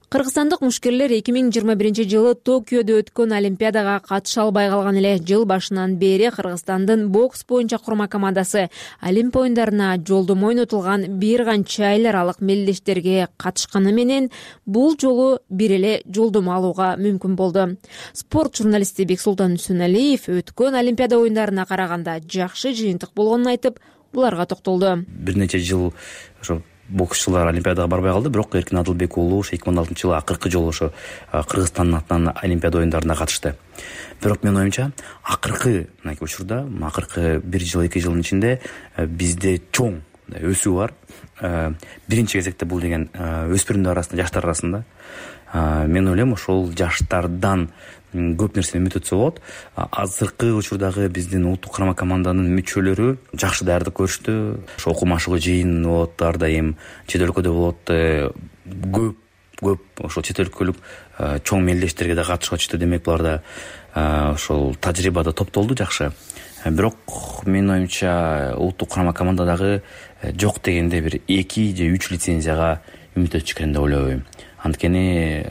Кыргызстандык мушкерлер 2021-жылы Токиодо өткөн олимпиадага катыша албай калган эле. Жыл башынан бери Кыргызстандын бокс боюнча курма командасы Олимп оюндарына жолдомо ойнотулган бир канча эл аралык мелдештерге катышканы менен бул жолу бир эле жолдомо алууга мүмкүн болду. Спорт журналисти Бексултан Үсөналиев өткөн олимпиада оюндарына караганда жакшы жыйынтык болгонун айтып, буларга токтолду. Бир нече жыл ошо боксчулар олимпиадага барбай калды, бирок Эркин Адылбек уулу 2016-жылы акыркы жолу ошо Кыргызстандын атынан олимпиада оюндарына катышты. Бирок менин оюмча акыркы учурда, акыркы 1 жыл 2 жылдын ичинде бизде чоң өсүү бар. Биринчи кезекте бул деген өспүрүмдөр арасында, жаштар арасында. Мен ойлойм, ошол жаштардан көп нерсени үмүт этсе болот. Азыркы учурдагы биздин улуттук курма команданын мүчөлөрү жакшы даярдык көрүштү. Ошо окуу машыгуу жыйын болот, ар дайым чет өлкөдө болот. Көп көп ошол чет өлкөлүк чоң мелдештерге да катышып атышты. Демек буларда ошол тажрыйба да топтолду жакшы. Бирок менин оюмча улуттук курама командадагы жок дегенде бир 2 же 3 лицензияга үмүт өтүш керек деп ойлойм. Анткени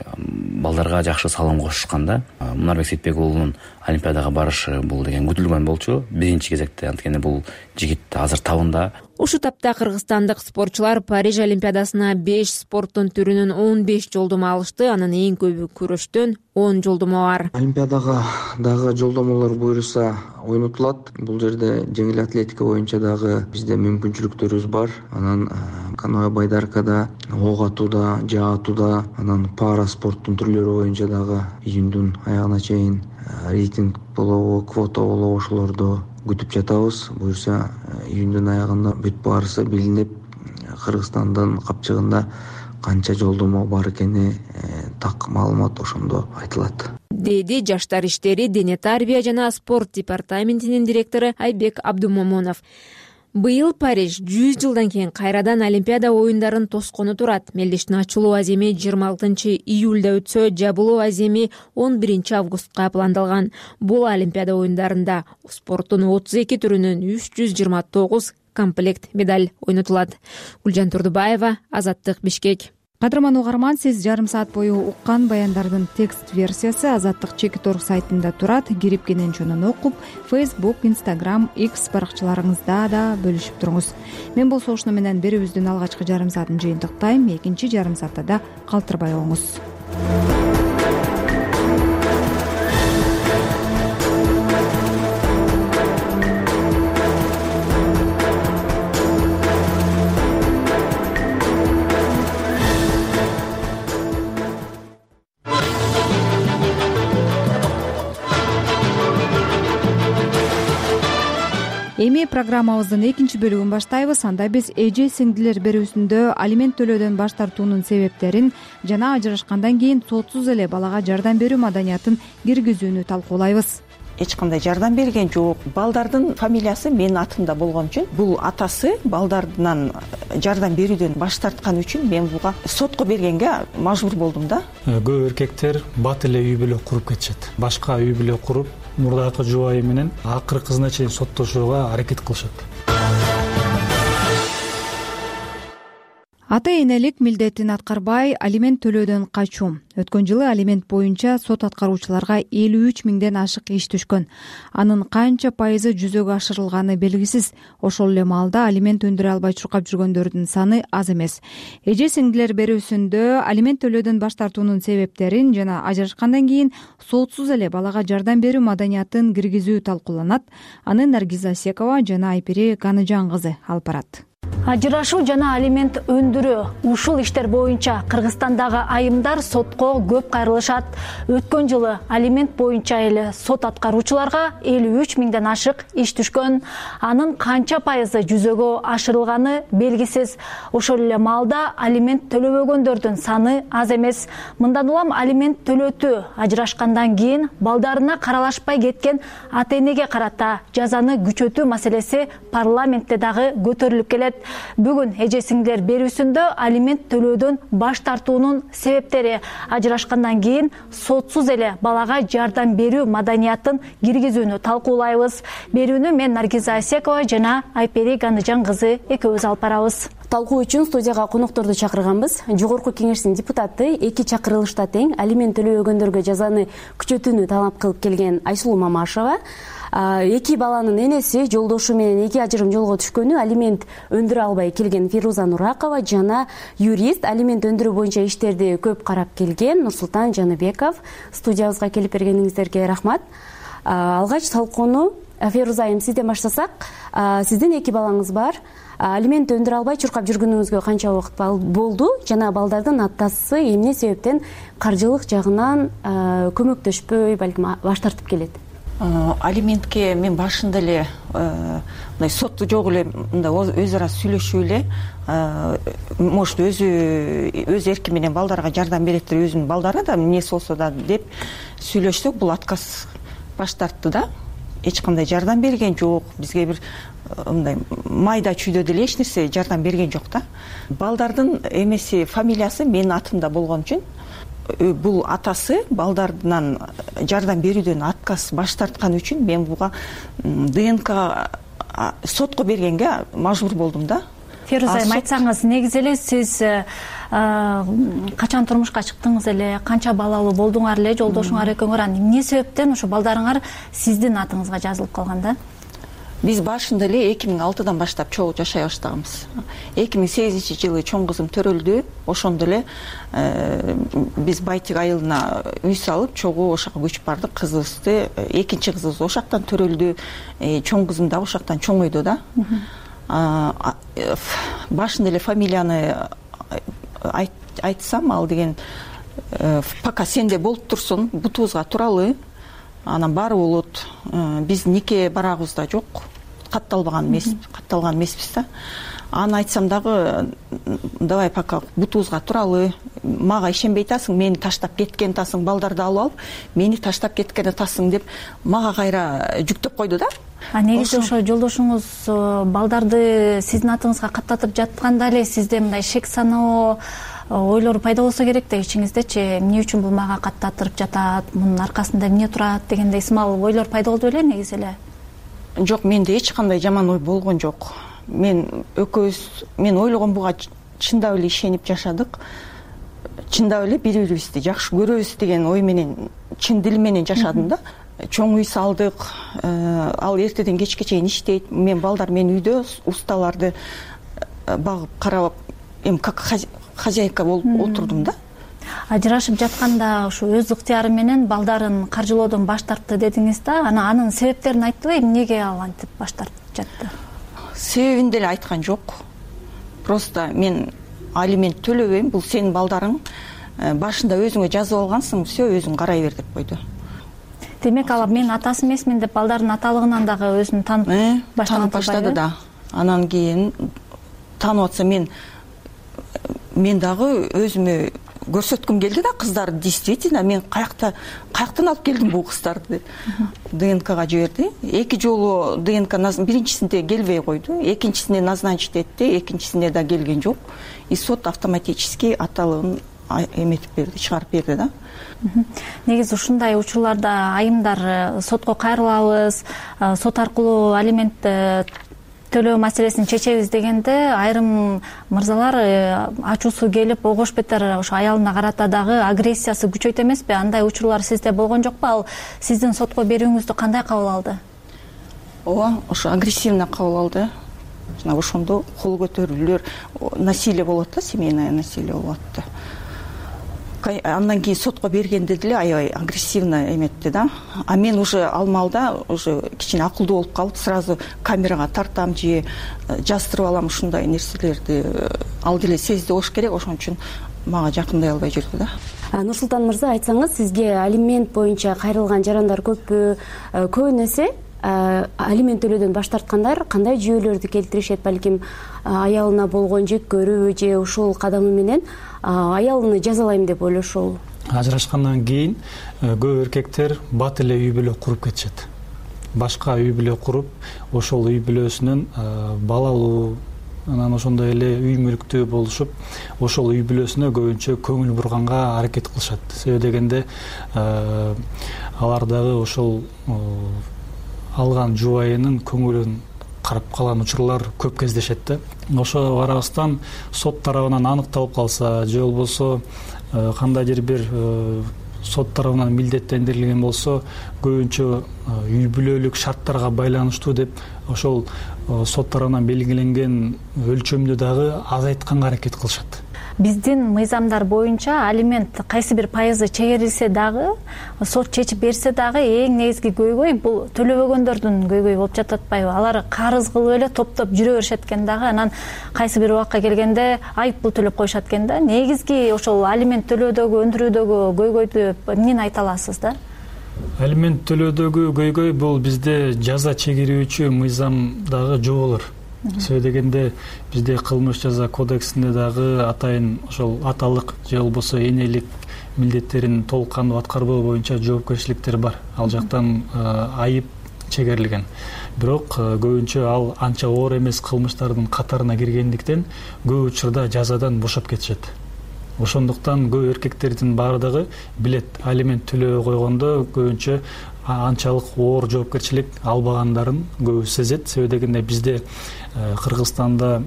балдарга жакшы салым кошушканда Мунарбек Сейитбек уулунун Олимпиадага барышы бул деген күтүлгөн болчу биринчи кезекте. Анткени бул жигит азыр табында. Ушул тапта кыргызстандык спортчулар Париж Олимпиадасына 5 спорттун түрүнөн 15 жолдомо алышты. Анын эң көбү күрөштөн 10 жолдомо бар. Олимпиадага дагы жолдомолор буйруса ойнотулат. Бул жерде жеңил атлетика боюнча дагы бизде мүмкүнчүлүктөрүбүз бар. Анан каноэ байдаркада, ок атууда, жаа атууда, анан пара спорттун түрлөрү боюнча дагы июндун аягына чейин рейтинг болобу, квота болобу ошолорду күтүп жатабыз. Буюрса июндун аягында бүт баарысы билинип, Кыргызстандын капчыгында канча жолдомо бар экени так маалымат ошондо айтылат, деди Жаштар иштери, дене тарбия жана спорт департаментинин директору Айбек Абдумомунов. Быйыл Париж 100 жылдан кийин кайрадан Олимпиада оюндарын тоскону турат. Мелдештин ачылуу аземи 26 июлда өтсө, жабылуу аземи 11 августка пландалган. Бул Олимпиада оюндарында спорттун 32 түрүнөн 329 комплект медаль ойнотулат. Гүлжан Турдубаева, Азаттык, Бишкек. Кадырман угарман, сиз жарым саат бою уккан баяндардын текст версиясы Азаттык Чекит.org сайтында турат. Кирип кенен окуп, Facebook, Instagram, X баракчаларыңызда да бөлүшүп туруңуз. Мен болсо ушуну менен берүүбүздүн алгачкы жарым саатын жыйынтыктайм. Экинчи жарым саатта да калтырбай оңуз. Эми программабыздын экинчи бөлүгүн баштайбыз. Анда биз эже сиңдилер берүүсүндө алимент төлөөдөн баш тартуунун себептерин жана ажырашкандан кийин сотсуз эле балага жардам берүү маданиятын киргизүүнү талкуулайбыз. Эч кандай жардам берген жок. Балдардын фамилиясы менин атымда болгон үчүн бул атасы балдарынан жардам берүүдөн баш тарткан үчүн мен буга сотко бергенге мажбур болдум да. Көп эркектер бат эле үй бүлө куруп кетишет. Башка үй бүлө куруп, мурдакы жубайы менен акыркысына чейин соттошууга аракет кылышат. Ата-энелик милдетин аткарбай алимент төлөөдөн качуу. Өткөн жылы алимент боюнча сот аткаруучуларга 53 миңден ашык иш түшкөн. Анын канча пайызы жүзөгө ашырылганы белгисиз. Ошол эле маалда алимент өндүрө албай чуркап жүргөндөрдүн саны аз эмес. Эже сиңдилер берүүсүндө алимент төлөөдөн баш тартуунун себептерин жана ажырашкандан кийин сотсуз эле балага жардам берүү маданиятын киргизүү талкууланат. Аны Наргиза Асекова жана Айпери Ганыжан кызы алып барат. Ажырашуу жана алимент өндүрүү ушул иштер боюнча Кыргызстандагы айымдар сотко көп кайрылышат. Өткөн жылы алимент боюнча эле сот аткаруучуларга 53 миңден ашык иш түшкөн. Анын канча пайызы жүзөгө ашырылганы белгисиз. Ошол эле маалда алимент төлөбөгөндөрдүн саны аз эмес. Мындан улам алимент төлөтүү ажырашкандан кийин балдарына каралашпай кеткен ата-энеге карата жазаны күчөтүү маселеси парламентте дагы көтөрүлүп келет. Бүгүн эже сиңдилер берүүсүндө алимент төлөөдөн баш тартуунун себептери, ажырашкандан кийин сотсуз эле балага жардам берүү маданиятын киргизүүнү талкуулайбыз. Берүүнү мен Наргиза Асекова жана Айпери Ганыжан кызы экөөбүз алып барабыз. Талкуу үчүн студияга конокторду чакырганбыз. Жогорку кеңештин депутаты, эки чакырылышта тең алимент төлөбөгөндөргө жазаны күчөтүүнү талап кылып келген Айсулуу Мамашева, эки баланын энеси, жолдошу менен эки ажырым жолго түшкөнү алимент өндүрө албай келген Фируза Нуракова жана юрист, алимент өндүрүү боюнча иштерди көп карап келген Нурсултан Жаныбеков. Студиябызга келип бергениңиздерге рахмат. Алгач талкууну Фируза айым сизден баштасак. Сиздин эки балаңыз бар. Алимент өндүрө албай чуркап жүргөнүңүзгө канча убакыт болду жана балдардын атасы эмне себептен каржылык жагынан көмөктөшпөй, балким баш тартып келет? Алиментке мен башында эле мындай сот жок эле мындай өз ара сүйлөшүп эле может өз эрки менен балдарга жардам береттир, өзүнүн балдарына да эмнеси болсо да деп сүйлөшсөк, бул отказ баш тартты да. эч кандай жардам берген жок, бизге бир мындай майда чүйдө деле эч нерсе жардам берген жок да. Балдардын эмеси, фамилиясы менин атымда болгон үчүн бул атасы балдарынан жардам берүүдөн отказ баш тарткан үчүн мен буга ДНК сотко бергенге мажбур болдум да. Феруза айым, айтсаңыз, негизи эле сиз качан турмушка чыктыңыз эле, канча балалуу болдуңар эле жолдошуңар экөөңөр, эмне себептен ошо балдарыңар сиздин атыңызга жазылып калган да? Биз башында эле 2006-дан баштап чогуу жашай баштаганбыз. 2008-жылы чоң кызым төрөлдү. Ошондо эле биз Байтик айылына үй салып, чогуу ошака көчүп бардык. Кызыбызды, экинчи кызыбыз ошактан төрөлдү. Чоң кызым да ошактан чоңойду да. Башында эле фамилияны айтсам, ал деген пока сенде болуп турсун, бутубузга туралы, анан баары болот. Биз нике барабыз да жок, катталган эмеспиз да. Аны айтсам дагы, давай пока бутубузга туралы, мага ишенбей атасың, мени таштап кеткен атасың, балдарды алып алып, мени таштап кеткен атасың деп мага кайра жүктөп койду да. Негизи ошо жолдошуңуз балдарды сиздин атыңызга каттатып жатканда эле сизде мындай шек саноо ойлор пайда болсо керек да ичиңиздечи, эмне үчүн бул мага каттатырып жатат, мунун аркасында эмне турат дегендей сымал ойлор пайда болду беле негизи эле? Жок, менде эч кандай жаман ой болгон жок. Мен ойлогон буга чындап эле ишенип жашадык. Чындап эле бири-бирибизди жакшы көрөбүз деген ой менен, чын дил менен жашадым да. Чоң үй салдык, ал эртеден кечке чейин иштейт. Балдар мен үйдө усталарды багып карап, как хозяйка болуп отурдум да. Ажырашып жатканда ушу өз ыктыяры менен балдарын каржылоодон баш тартты дедиңиз да, анын себептерин айттыбы, эмнеге ал антип баш тартып жатты? Себебин деле айткан жок. Просто мен алимент төлөбөйм, бул сенин балдарың, башында өзүңө жазып алгансың, все өзүң карай бер деп койду. Демек, ал мен атасы эмесмин деп балдардын аталыгынан дагы өзүн таанып баштады да. Анан кийин таанып атса мен дагы өзүмө көрсөткүм келди да, кыздар действительно мен каяктан алып келдим бул кыздарды деп. ДНКга жиберди. 2 жолу ДНК биринчисинде келбей койду, экинчисине назначить этти, экинчисине да келген жок. И сот автоматически аталыгын эметип берди, чыгарып берди да. Негизи ушундай учурларда айымдар сотко кайрылабыз, сот аркылуу алимент төлөө маселесин чечебиз дегенде айрым мырзалар ачуусу келип огош бетер ошо аялына карата дагы агрессиясы күчөйт эмеспи? Андай учурлар сизде болгон жокпу? Ал сиздин сотко берүүңүздү кандай кабыл алды? Ооба, ошо агрессивно кабыл алды. Жана ошондо кол көтөрүүлөр, насилие болот да, семейное насилие болот да. Андан кийин сотко бергенде деле аябай агрессивно эметти да. А мен уже ал маалда уже кичине акылдуу болуп калып, сразу камерага тартам же жастырып алам ушундай нерселерди. Ал деле сезди болуш керек, ошон үчүн мага жакындай албай жүрдү да. Нурсултан мырза, айтсаңыз, сизге алимент боюнча кайрылган жарандар көппү? Көбүнесе алимент төлөөдөн баш тарткандар кандай жүйөлөрдү келтиришет? Балким аялына болгон жек көрүү же ушул кадамы менен аялыны жазалайм деп ойлошуу? Ажырашкандан кийин көп эркектер бат эле үй бүлө куруп кетишет. Башка үй бүлө куруп, ошол үй бүлөсүнөн балалуу, анан ошондой эле үй мүлктүү болушуп, ошол үй бүлөсүнө көбүнчө көңүл бурганга аракет кылышат. Себеби дегенде алар дагы ошол алган жубайынын көңүлүн карап калган учурлар көп кездешет да. Ошо арабыздан сот тарабынан аныкталып калса, же болбосо кандайдыр бир сот тарабынан милдеттендирилген болсо, көбүнчө үй бүлөлүк шарттарга байланыштуу деп ошол сот тарабынан белгиленген өлчөмдү дагы азайтканга аракет кылышат. Биздин мыйзамдар боюнча алимент кайсы бир пайызы чегерилсе дагы, сот чечип берсе дагы эң негизги көйгөй бул төлөбөгөндөрдүн көйгөйү болуп жатып атпайбы? Алар карыз кылып эле топтоп жүрө беришет экен дагы, анан кайсы бир убакка келгенде айып пул төлөп коюшат экен да. Негизги ошол алимент төлөөдөгү, өндүрүүдөгү көйгөйдү эмнени айта аласыз да? Алимент төлөөдөгү көйгөй бул бизде жаза чегерүүчү мыйзамдагы жоболор. Себеби дегенде бизде кылмыш жаза кодексинде дагы атайын ошол аталык же болбосо энелик милдеттерин толук кандуу аткарбоо боюнча жоопкерчиликтер бар. Ал жактан айып чегерилген. Бирок көбүнчө ал анча оор эмес кылмыштардын катарына киргендиктен көп учурда жазадан бошоп кетишет. Ошондуктан көп эркектердин баардыгы билет, алимент төлөбөй койгондо көбүнчө анчалык оор жоопкерчилик албагандарын көбү сезет. Себеби дегенде бизде Кыргызстанда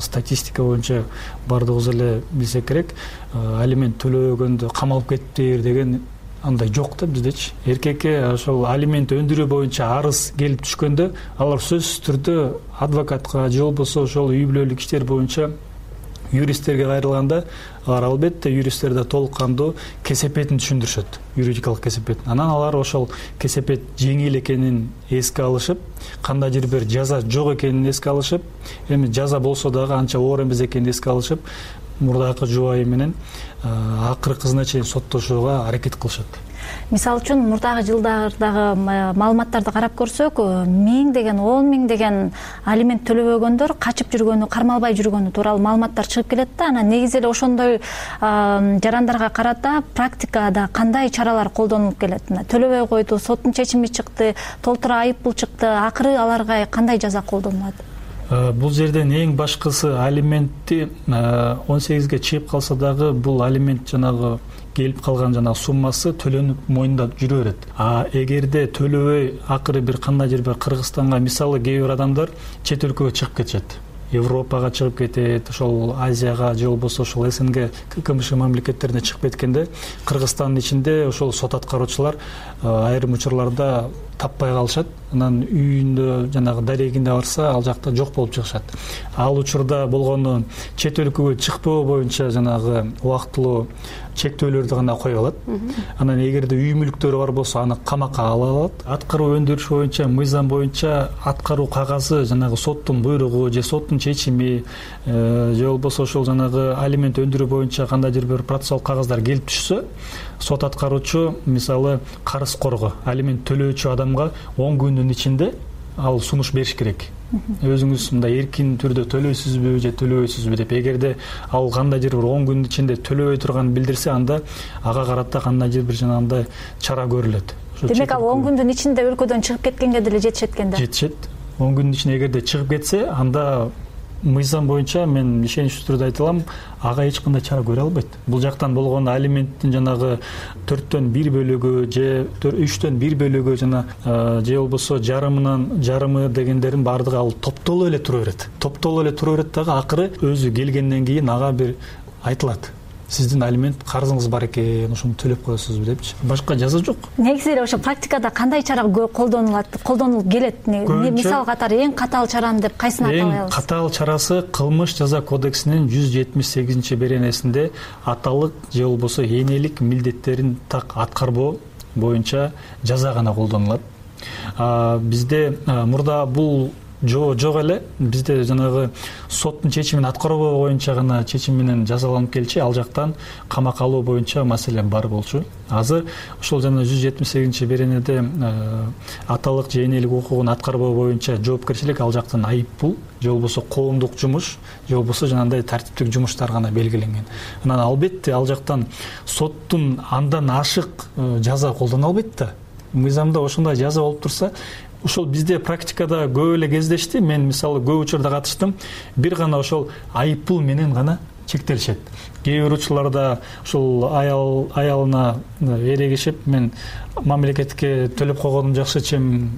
статистика боюнча баардыгыбыз эле билсек керек, алимент төлөбөгөндө камалып кетиптир деген андай жок да биздечи. Эркекке ошол алимент өндүрүү боюнча арыз келип түшкөндө алар сөзсүз түрдө адвокатка же болбосо ошол үй бүлөлүк иштер боюнча юристтерге кайрылганда алар албетте юристтерде толук кандуу кесепетин түшүндүрүшөт, юридикалык кесепетин. Анан алар ошол кесепет жеңил экенин эске алышып, кандайдыр бир жаза жок экенин эске алышып, эми жаза болсо дагы анча оор эмес экенин эске алышып, мурдакы жубайы менен акыркысына чейин соттошууга аракет кылышат. Мисалы үчүн мурдагы жылдардагы маалыматтарды карап көрсөк, 1000 деген 10 000 деген алимент төлөбөгөндөр качып жүргөнү, кармалбай жүргөнү тууралуу маалыматтар чыгып келет да. Анан негизи эле ошондой жарандарга карата практикада кандай чаралар колдонулуп келет? Төлөбөй койду, соттун чечими чыкты, толтура айыппул чыкты, акыры аларга кандай жаза колдонулат? Бул жерден эң башкысы алиментти 18ге чыгып калса дагы бул алимент жанагы келип калган жанагы суммасы төлөнүп мойнунда жүрө берет. Эгерде төлөбөй акыры бир кандайдыр бир Кыргызстанга, мисалы кээ бир адамдар чет өлкөгө чыгып кетишет. Европага чыгып кетет, ошол Азияга же болбосо ошол СНГ КМШ мамлекеттерине чыгып кеткенде Кыргызстандын ичинде ошол сот аткаруучулар айрым учурларда таппай калышат. Анан үйүндө жанагы дарегине барса ал жакта жок болуп чыгышат. Ал учурда болгону чет өлкөгө чыкпоо боюнча жанагы убактылуу чектөөлөрдү гана коюп алат. Анан эгерде үй мүлктөрү бар болсо аны камакка ала алат. Аткаруу өндүрүш боюнча, мыйзам боюнча аткаруу кагазы жанагы соттун буйругу же соттун чечими же болбосо ошол жанагы алимент өндүрүү боюнча кандайдыр бир процессуалдык кагаздар келип түшсө, сот аткаруучу мисалы карыз корго, алимент төлөөчү адамга 10 күндүн ичинде ал сунуш бериш керек. Өзүңүз мындай эркин түрдө төлөйсүзбү же төлөбөйсүзбү деп. Эгерде ал кандайдыр бир 10 күндүн ичинде төлөбөй турганын билдирсе, анда ага карата кандайдыр бир жанагындай чара көрүлөт. Демек ал 10 күндүн ичинде өлкөдөн чыгып кеткенге деле жетишет экен да. Жетишет. 10 күндүн ичинде эгерде чыгып кетсе, анда мыйзам боюнча мен ишеничтүү түрдө айта алам, ага эч кандай чара көрө албайт. Бул жактан болгону алименттин жанагы 4төн 1 бөлүгү же 3төн 1 бөлүгү жана же болбосо жарымы дегендерин баардыгы ал топтолуп эле тура берет. Топтолуп эле тура берет дагы акыры өзү келгенден кийин ага бир айтылат. Сиздин алимент карызыңыз бар экен, ошону төлөп коесузбу депчи. Башка жаза жок. Негизи эле ошо практикада кандай чара колдонулуп келет? Мисал катары эң катаал чараны деп кайсыны айта алабыз? Эң катаал чарасы кылмыш жаза кодексинин 178-беренесинде аталык же болбосо энелик милдеттерин так аткарбоо боюнча жаза гана колдонулат. Бизде мурда бул жок эле, бизде жанагы соттун чечимин аткарбоо боюнча гана чечим менен жазаланып келчи, ал жактан камакка алуу боюнча маселе бар болчу. Азыр ошол жана 178-беренеде аталык же энелик укугун аткарбоо боюнча жоопкерчилик ал жактан айыппул же болбосо коомдук жумуш же болбосо жанагындай тартиптик жумуштар гана белгиленген. Анан албетте ал жактан соттун андан ашык жаза колдоно албайт да. Мыйзамда ошондой жаза болуп турса, ошол бизде практикада көп эле кездешти. Мен мисалы көп учурда катыштым. Бир гана ошол айыппул менен гана чектелишет. Кээ бир учурларда ошол аялына эрегишип, мен мамлекетке төлөп койгонум жакшы, чем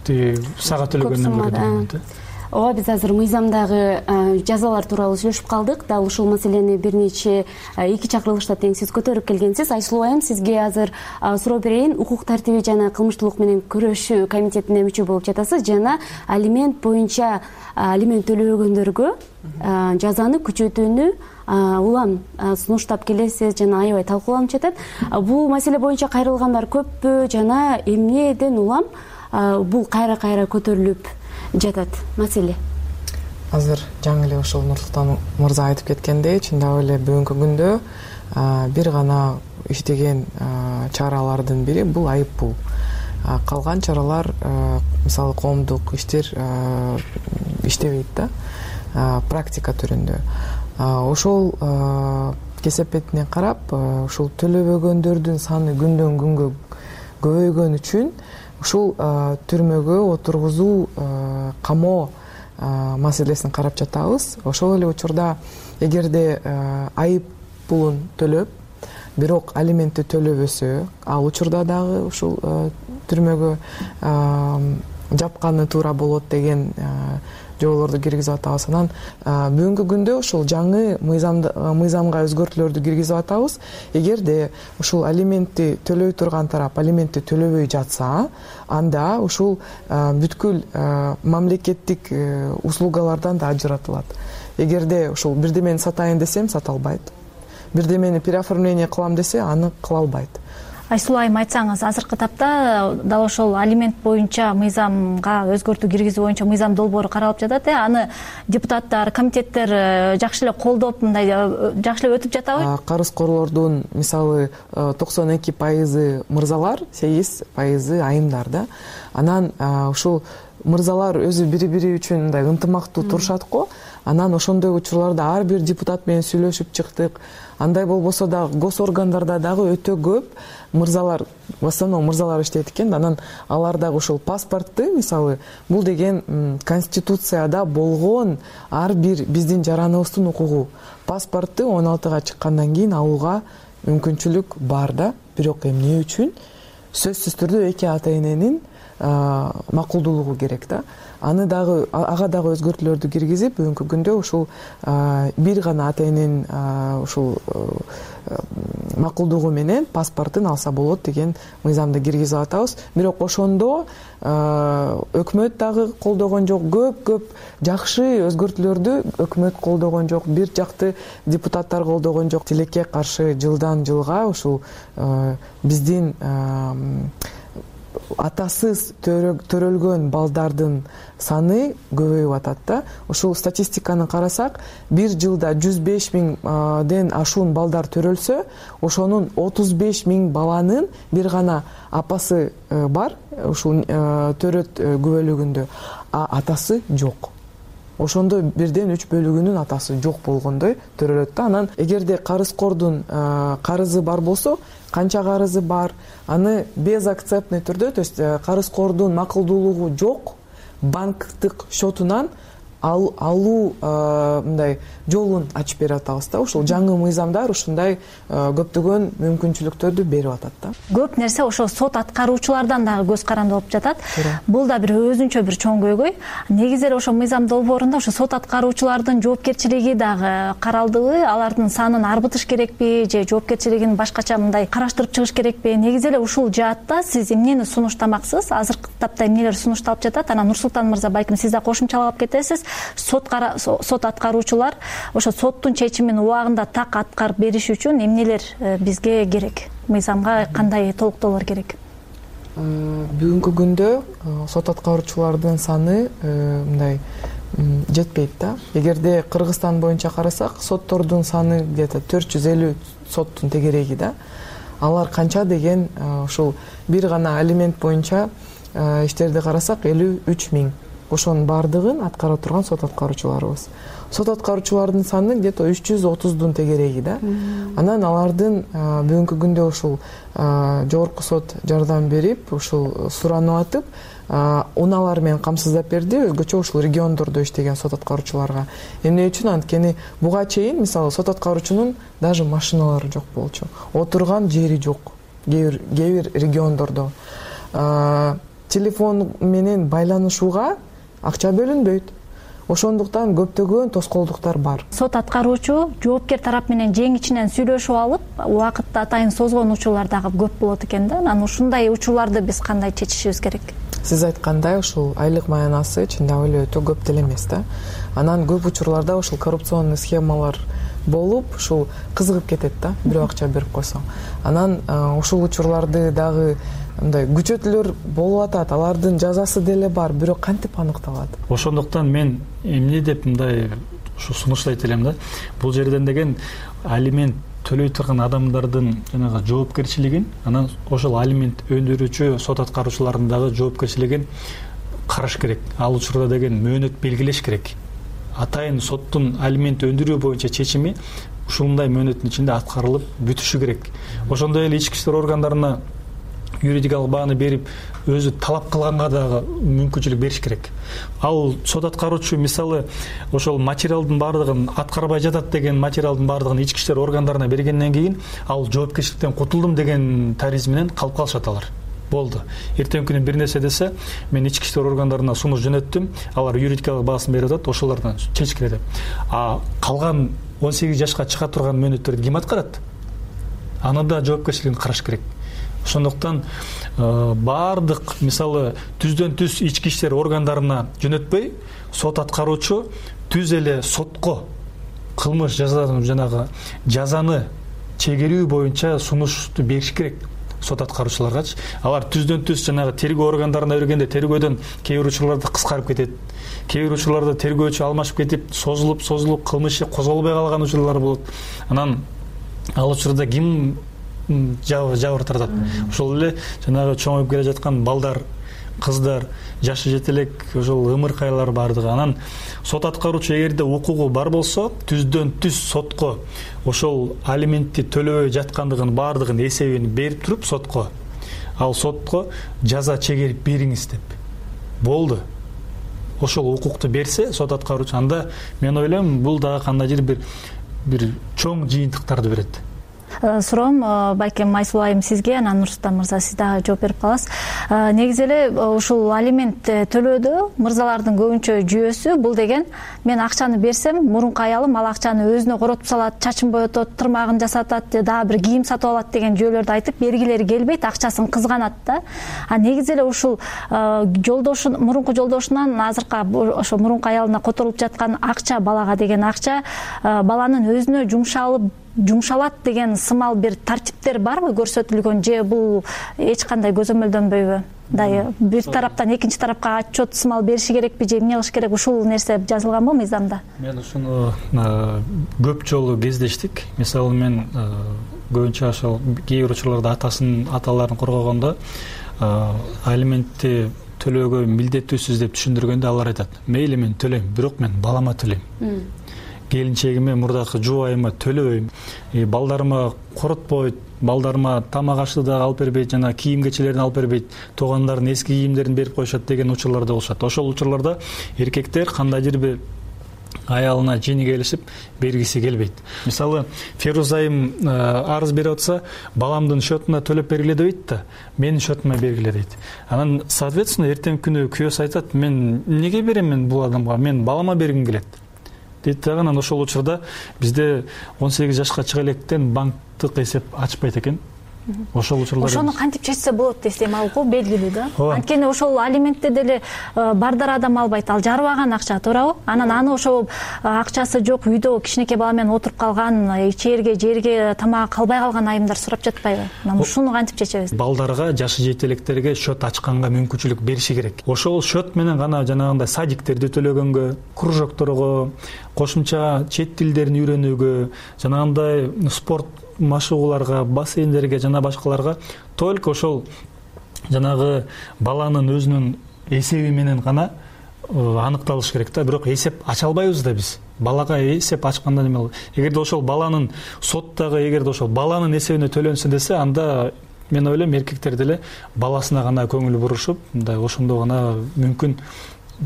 сага төлөгөндөн көрө дейм. Ооба, биз азыр мыйзамдагы жазалар тууралуу сүйлөшүп калдык. Дал ушул маселени бир нече эки чакырылышта тең сиз көтөрүп келгенсиз. Айсулуу айым, сизге азыр суроо берейин. Укук тартиби жана кылмыштуулук менен күрөшүү комитетине мүчө болуп жатасыз жана алимент боюнча алимент төлөбөгөндөргө жазаны күчөтүүнү улам сунуштап келесиз жана аябай талкууланып жатат. Бул маселе боюнча кайрылгандар көппү жана эмнеден улам бул кайра көтөрүлүп жатат маселе? Азыр жаңы эле ошол Нурлуктан мырза айтып кеткендей, чындап эле бүгүнкү күндө бир гана иштеген чаралардын бири бул айыппул. Калган чаралар, мисалы коомдук иштер иштебейт да, практика түрүндө. Ошол кесепетине карап, ушул төлөбөгөндөрдүн саны күндөн күнгө көбөйгөн үчүн ушул түрмөгө отургузуу, камоо маселесин карап жатабыз. Ошол эле учурда эгерде айып пулун төлөп, бирок алиментти төлөбөсө, ал учурда дагы ушул түрмөгө жапканы туура болот деген жоолорду киргизип атабыз. Анан бүгүнкү күндө ушул жаңы мыйзамга өзгөртүүлөрдү киргизип атабыз. Эгерде ушул алиментти төлөй турган тарап алиментти төлөбөй жатса, анда ушул бүткүл мамлекеттик услугалардан да ажыратылат. Эгерде ушул бирдемени сатайын десем, сата албайт. Бирдемени переоформление кылам десе, аны кыла албайт. Айсулуу айым, айтсаңыз, азыркы тапта дал ошол алимент боюнча мыйзамга өзгөртүү киргизүү боюнча мыйзам долбоору каралып жатат. Аны депутаттар, комитеттер жакшы эле колдоп, мындай жакшы эле өтүп жатабы? Карызкорлордун мисалы 92% мырзалар, 8% айымдар да. Анан ушул мырзалар өзү бири-бири үчүн мындай ынтымактуу турушат го. Анан ошондой учурларда ар бир депутат менен сүйлөшүп чыктык. Андай болбосо да госоргандарда дагы өтө көп мырзалар, в основном мырзалар иштейт экен. Анан алар дагы ушул паспортты, мисалы, бул деген конституцияда болгон ар бир биздин жараныбыздын укугу. Паспортты 16-га чыккандан кийин алууга мүмкүнчүлүк бар да. Бирок эмне үчүн? Сөзсүз түрдө эки ата-эненин макулдуулугу керек да. Ага дагы өзгөртүүлөрдү киргизип, бүгүнкү күндө ушул бир гана ата-эненин ушул макулдугу менен паспортун алса болот деген мыйзамды киргизип атабыз. Бирок ошондо өкмөт дагы колдогон жок, көп жакшы өзгөртүүлөрдү өкмөт колдогон жок, бир жакты депутаттар колдогон жок. Тилекке каршы жылдан жылга ушул биздин атасыз төрөлгөн балдардын саны көбөйүп атат да. Ушул статистиканы карасак, бир жылда 105 миңден ашуун балдар төрөлсө, ошонун 35 миң баланын бир гана апасы бар, ушул төрөт күбөлүгүндө, а атасы жок. Ошондо 1/3 атасы жок болгондой төрөлөт да. Анан эгерде карызкордун карызы бар болсо, канча карызы бар, аны безакцептный түрдө, то есть карызкордун макулдуулугу жок, банктык счетунан алуу мындай жолун ачып берип атабыз да. Ушул жаңы мыйзамдар ушундай көптөгөн мүмкүнчүлүктөрдү берип атат да. Көп нерсе ошо сот аткаруучулардан дагы көз каранды болуп жатат. Бул да бир өзүнчө бир чоң көйгөй. Негизи эле ошо мыйзам долбоорунда ошо сот аткаруучулардын жоопкерчилиги дагы каралдыбы? Алардын санын арбытыш керекпи же жоопкерчилигин башкача мындай караштырып чыгыш керекпи? Негизи эле ушул жаатта сиз эмнени сунуштамаксыз? Азыркы тапта эмнелер сунушталып жатат? Анан Нурсултан мырза, балким сиз да кошумчалап кетесиз. Сот аткаруучулар ошо соттун чечимин убагында так аткарып бериш үчүн эмнелер бизге керек? Мыйзамга кандай толуктоолор керек? Бүгүнкү күндө сот аткаруучулардын саны мындай жетпейт да. Эгерде Кыргызстан боюнча карасак, соттордун саны где-то 450 соттун тегереги да. Алар канча деген ушул бир гана алимент боюнча иштерди карасак 53 миң. Ошонун бардыгын аткара турган сот аткаруучуларыбыз. Сот аткаруучулардын саны где-то 330дун тегереги да. Анан алардын бүгүнкү күндө ушул жогорку сот жардам берип, ушул суранып атып, унаалар менен камсыздап берди, өзгөчө ушул региондордо иштеген сот аткаруучуларга. Эмне үчүн? Анткени буга чейин мисалы сот аткаруучунун даже машиналары жок болчу. Отурган жери жок. Кээ бир региондордо телефон менен байланышууга акча бөлүнбөйт. Ошондуктан көптөгөн тоскоолдуктар бар. Сот аткаруучу жоопкер тарап менен жең ичинен сүйлөшүп алып, убакытты атайын созгон учурлар дагы көп болот экен да. Анан ушундай учурларды биз кандай чечишибиз керек? Сиз айткандай, ушул айлык маянасы чындап эле өтө көп деле эмес да. Анан көп учурларда ушул коррупционный схемалар болуп, ушул кызыгып кетет да, бирөө акча берип койсо. Анан ушул учурларды дагы мындай күчөтүүлөр болуп атат, алардын жазасы деле бар, бирок кантип аныкталат? Ошондуктан мен эмне деп мындай ушу сунуштайт элем да. Бул жерден деген алимент төлөй турган адамдардын жанагы жоопкерчилигин, анан ошол алимент өндүрүүчү сот аткаруучулардын дагы жоопкерчилигин караш керек. Ал учурда деген мөөнөт белгилеш керек. Атайын соттун алимент өндүрүү боюнча чечими ушундай мөөнөттүн ичинде аткарылып бүтүшү керек. Ошондой эле ички иштер органдарына юридикалык бааны берип өзү талап кылганга дагы мүмкүнчүлүк бериш керек. Ал сот аткаруучу мисалы ошол материалдын баардыгын аткарбай жатат деген материалдын баардыгын ички иштер органдарына бергенден кийин ал жоопкерчиликтен кутулдум деген тарыз менен калып калышат алар. Болду. Эртең күнү бир нерсе десе, мен ички иштер органдарына сунуш жөнөттүм, алар юридикалык баасын берип атат, ошолордон чечкиле деп. Калган 18 жашка чыга турган мөөнөттөрдү ким аткарат? Аны да жоопкерчилигин караш керек. Ошондуктан баардык мисалы түздөн түз ички иштер органдарына жөнөтпөй, сот аткаруучу түз эле сотко кылмыш жазаны чегерүү боюнча сунушту бериш керек сот аткаруучуларгачы. Алар түздөн түз тергөө органдарына бергенде тергөөдөн кээ бир учурларда кыскарып кетет. Кээ бир учурларда тергөөчү алмашып кетип, созулуп кылмыш козголбой калган учурлар болот. Анан ал учурда ким жабыр тартат? Ошол эле чоңоюп келе жаткан балдар, кыздар, жашы жете элек ошол ымыркайлар бардыгы. Анан сот аткаруучу эгерде укугу бар болсо, түздөн түз сотко ошол алиментти төлөбөй жаткандыгын баардыгын эсебин берип туруп сотко, ал сотко жаза чегерип бериңиз деп. Болду. Ошол укукту берсе сот аткаруучу, анда мен ойлойм бул дагы кандайдыр бир чоң жыйынтыктарды берет. Суроом балким Айсулуу айым сизге, анан Нурсултан мырза сиз дагы жооп берип каласыз. Негизи эле ушул алимент төлөөдө мырзалардын көбүнчө жүйөсү бул деген мен акчаны берсем, мурунку аялым ал акчаны өзүнө коротуп салат, чачын боетот, тырмагын жасатат, дагы бир кийим сатып алат деген жүйөлөрдү айтып, бергилери келбейт, акчасын кызганат да. Негизи эле ушул мурунку жолдошунан азыркы ошо мурунку аялына которулуп жаткан акча, балага деген акча баланын өзүнө жумшалат деген сымал бир тартиптер барбы көрсөтүлгөн, же бул эч кандай көзөмөлдөнбөйбү? Бир тараптан экинчи тарапка отчет сымал бериши керекпи, же эмне кылыш керек? Ушул нерсе жазылганбы мыйзамда? Мен ушуну көп жолу кездештик. Мисалы мен көбүнчө ошол кээ бир учурларда аталарын коргогондо алиментти төлөөгө милдеттүүсүз деп түшүндүргөндө алар айтат: мейли мен төлөйм, бирок мен балама төлөйм. Келинчегиме, мурдакы жубайыма төлөбөйм, балдарыма коротпойт, балдарыма тамак ашты дагы алып бербейт, жана кийим кечелерин алып бербейт, туугандардын эски кийимдерин берип коюшат деген учурлар да болушат. Ошол учурларда эркектер кандайдыр бир аялына жени келишип бергиси келбейт. Мисалы, Феруза айым арыз берип атса, баламдын счетуна төлөп бергиле дейт да, менин счетума бергиле дейт. Анан соответственно эртең күнү күйөөсү айтат: мен эмнеге берем мен бул адамга, мен балама бергим келет дейт дагы. Анан ошол учурда бизде 18 жашка чыга электен банктык эсеп ачпайт экен. Ошол учурлар ошону кантип чечсе болот десем, ал белгилүү да. Анткени ошол алиментти деле бардар адам албайт, ал жарыбаган акча, туурабы? Анан аны ошол акчасы жок үйдө кичинекей бала менен отуруп калган, ичерге, жерге тамак калбай калган айымдар сурап жатпайбы? Анан ушуну кантип чечебиз? Балдарга, жашы жете электерге счет ачканга мүмкүнчүлүк бериши керек. Ошол счет менен гана жанагындай садиктерди төлөгөнгө, кружокторго, кошумча чет тилдерин үйрөнүүгө, жанагындай спорт машыгууларга, бассейндерге жана башкаларга только ошол жанагы баланын өзүнүн эсеби менен гана аныкталыш керек да. Бирок эсеп ача албайбыз да биз. Балага эсеп ачканда неме болот? Эгерде ошол баланын соттогу эгерде ошол баланын эсебине төлөнсө десе, анда мен ойлойм эркектер деле баласына гана көңүл бурушуп, мындай ошондо гана мүмкүн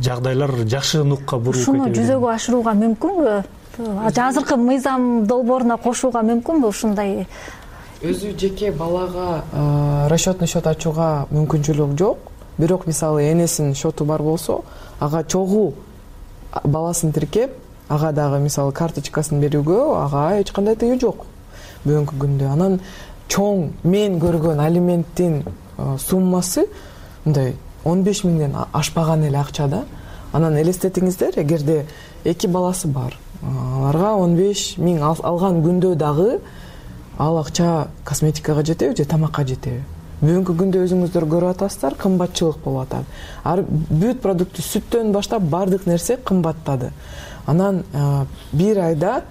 жагдайлар жакшы нукка буруп кетет. Ушуну жүзөгө ашырууга мүмкүнбү? Азыркы мыйзам долбооруна кошууга мүмкүнбү ушундай? Өзү жеке балага расчетный счет ачууга мүмкүнчүлүк жок. Бирок мисалы энесинин счету бар болсо, ага чогуу баласын тиркеп, ага дагы мисалы карточкасын берүүгө ага эч кандай тыюу жок бүгүнкү күндө. Анан чоң мен көргөн алименттин суммасы мындай 15 миңден ашпаган эле акча да. Анан элестетиңиздер, эгерде 2 баласы бар, аларга 15 миң алган күндө дагы ал акча косметикага жетеби же тамакка жетеби? Бүгүнкү күндө өзүңүздөр көрүп атасыздар, кымбатчылык болуп атат. Бүт продукты, сүттөн баштап бардык нерсе кымбаттады. Анан бир айда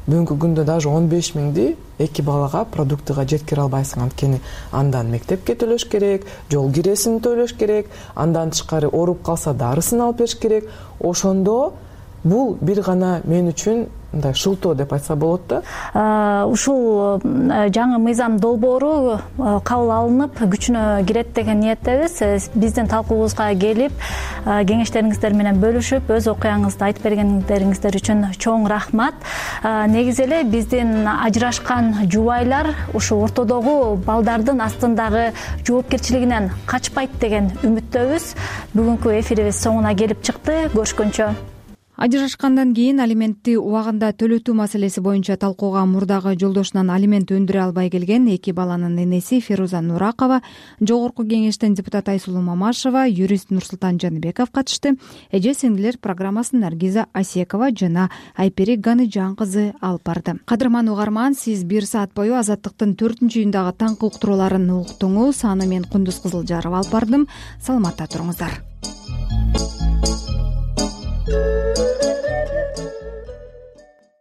бүгүнкү күндө даже 15 миңди 2 балага продуктыга жеткире албайсың. Анткени андан мектепке төлөш керек, жол киресин төлөш керек, андан тышкары ооруп калса дарысын алып бериш керек. Ошондо бул бир гана мен үчүн мындай шылтоо деп айтса болот да. Ушул жаңы мыйзам долбоору кабыл алынып күчүнө кирет деген ниеттебиз. Биздин талкуубузга келип кеңештериңиздер менен бөлүшүп өз окуяңызды айтып бергендериңиздер үчүн чоң рахмат. Негизи эле биздин ажырашкан жубайлар ушу ортодогу балдардын астындагы жоопкерчилигинен качпайт деген үмүттөбүз. Бүгүнкү эфирибиз соңуна келип чыкты. Көрүшкөнчө. Ажырашкандан кийин алиментти убагында төлөтүү маселеси боюнча талкууга мурдагы жолдошунан алимент өндүрө албай келген 2 баланын энеси Феруза Нуракова, Жогорку кеңештин депутаты Айсулуу Мамашева, юрист Нурсултан Жаныбеков катышты. Эже сиңдилер программасын Наргиза Асекова жана Айпери Ганыжан кызы алып барды. Кадырман угарман, сиз 1 саат бою Азаттыктын 4-үйүндагы таңкы уктурууларын уктуңуз. Аны мен Кундуз Кызылжарова алып бардым. Саламатта туруңуздар.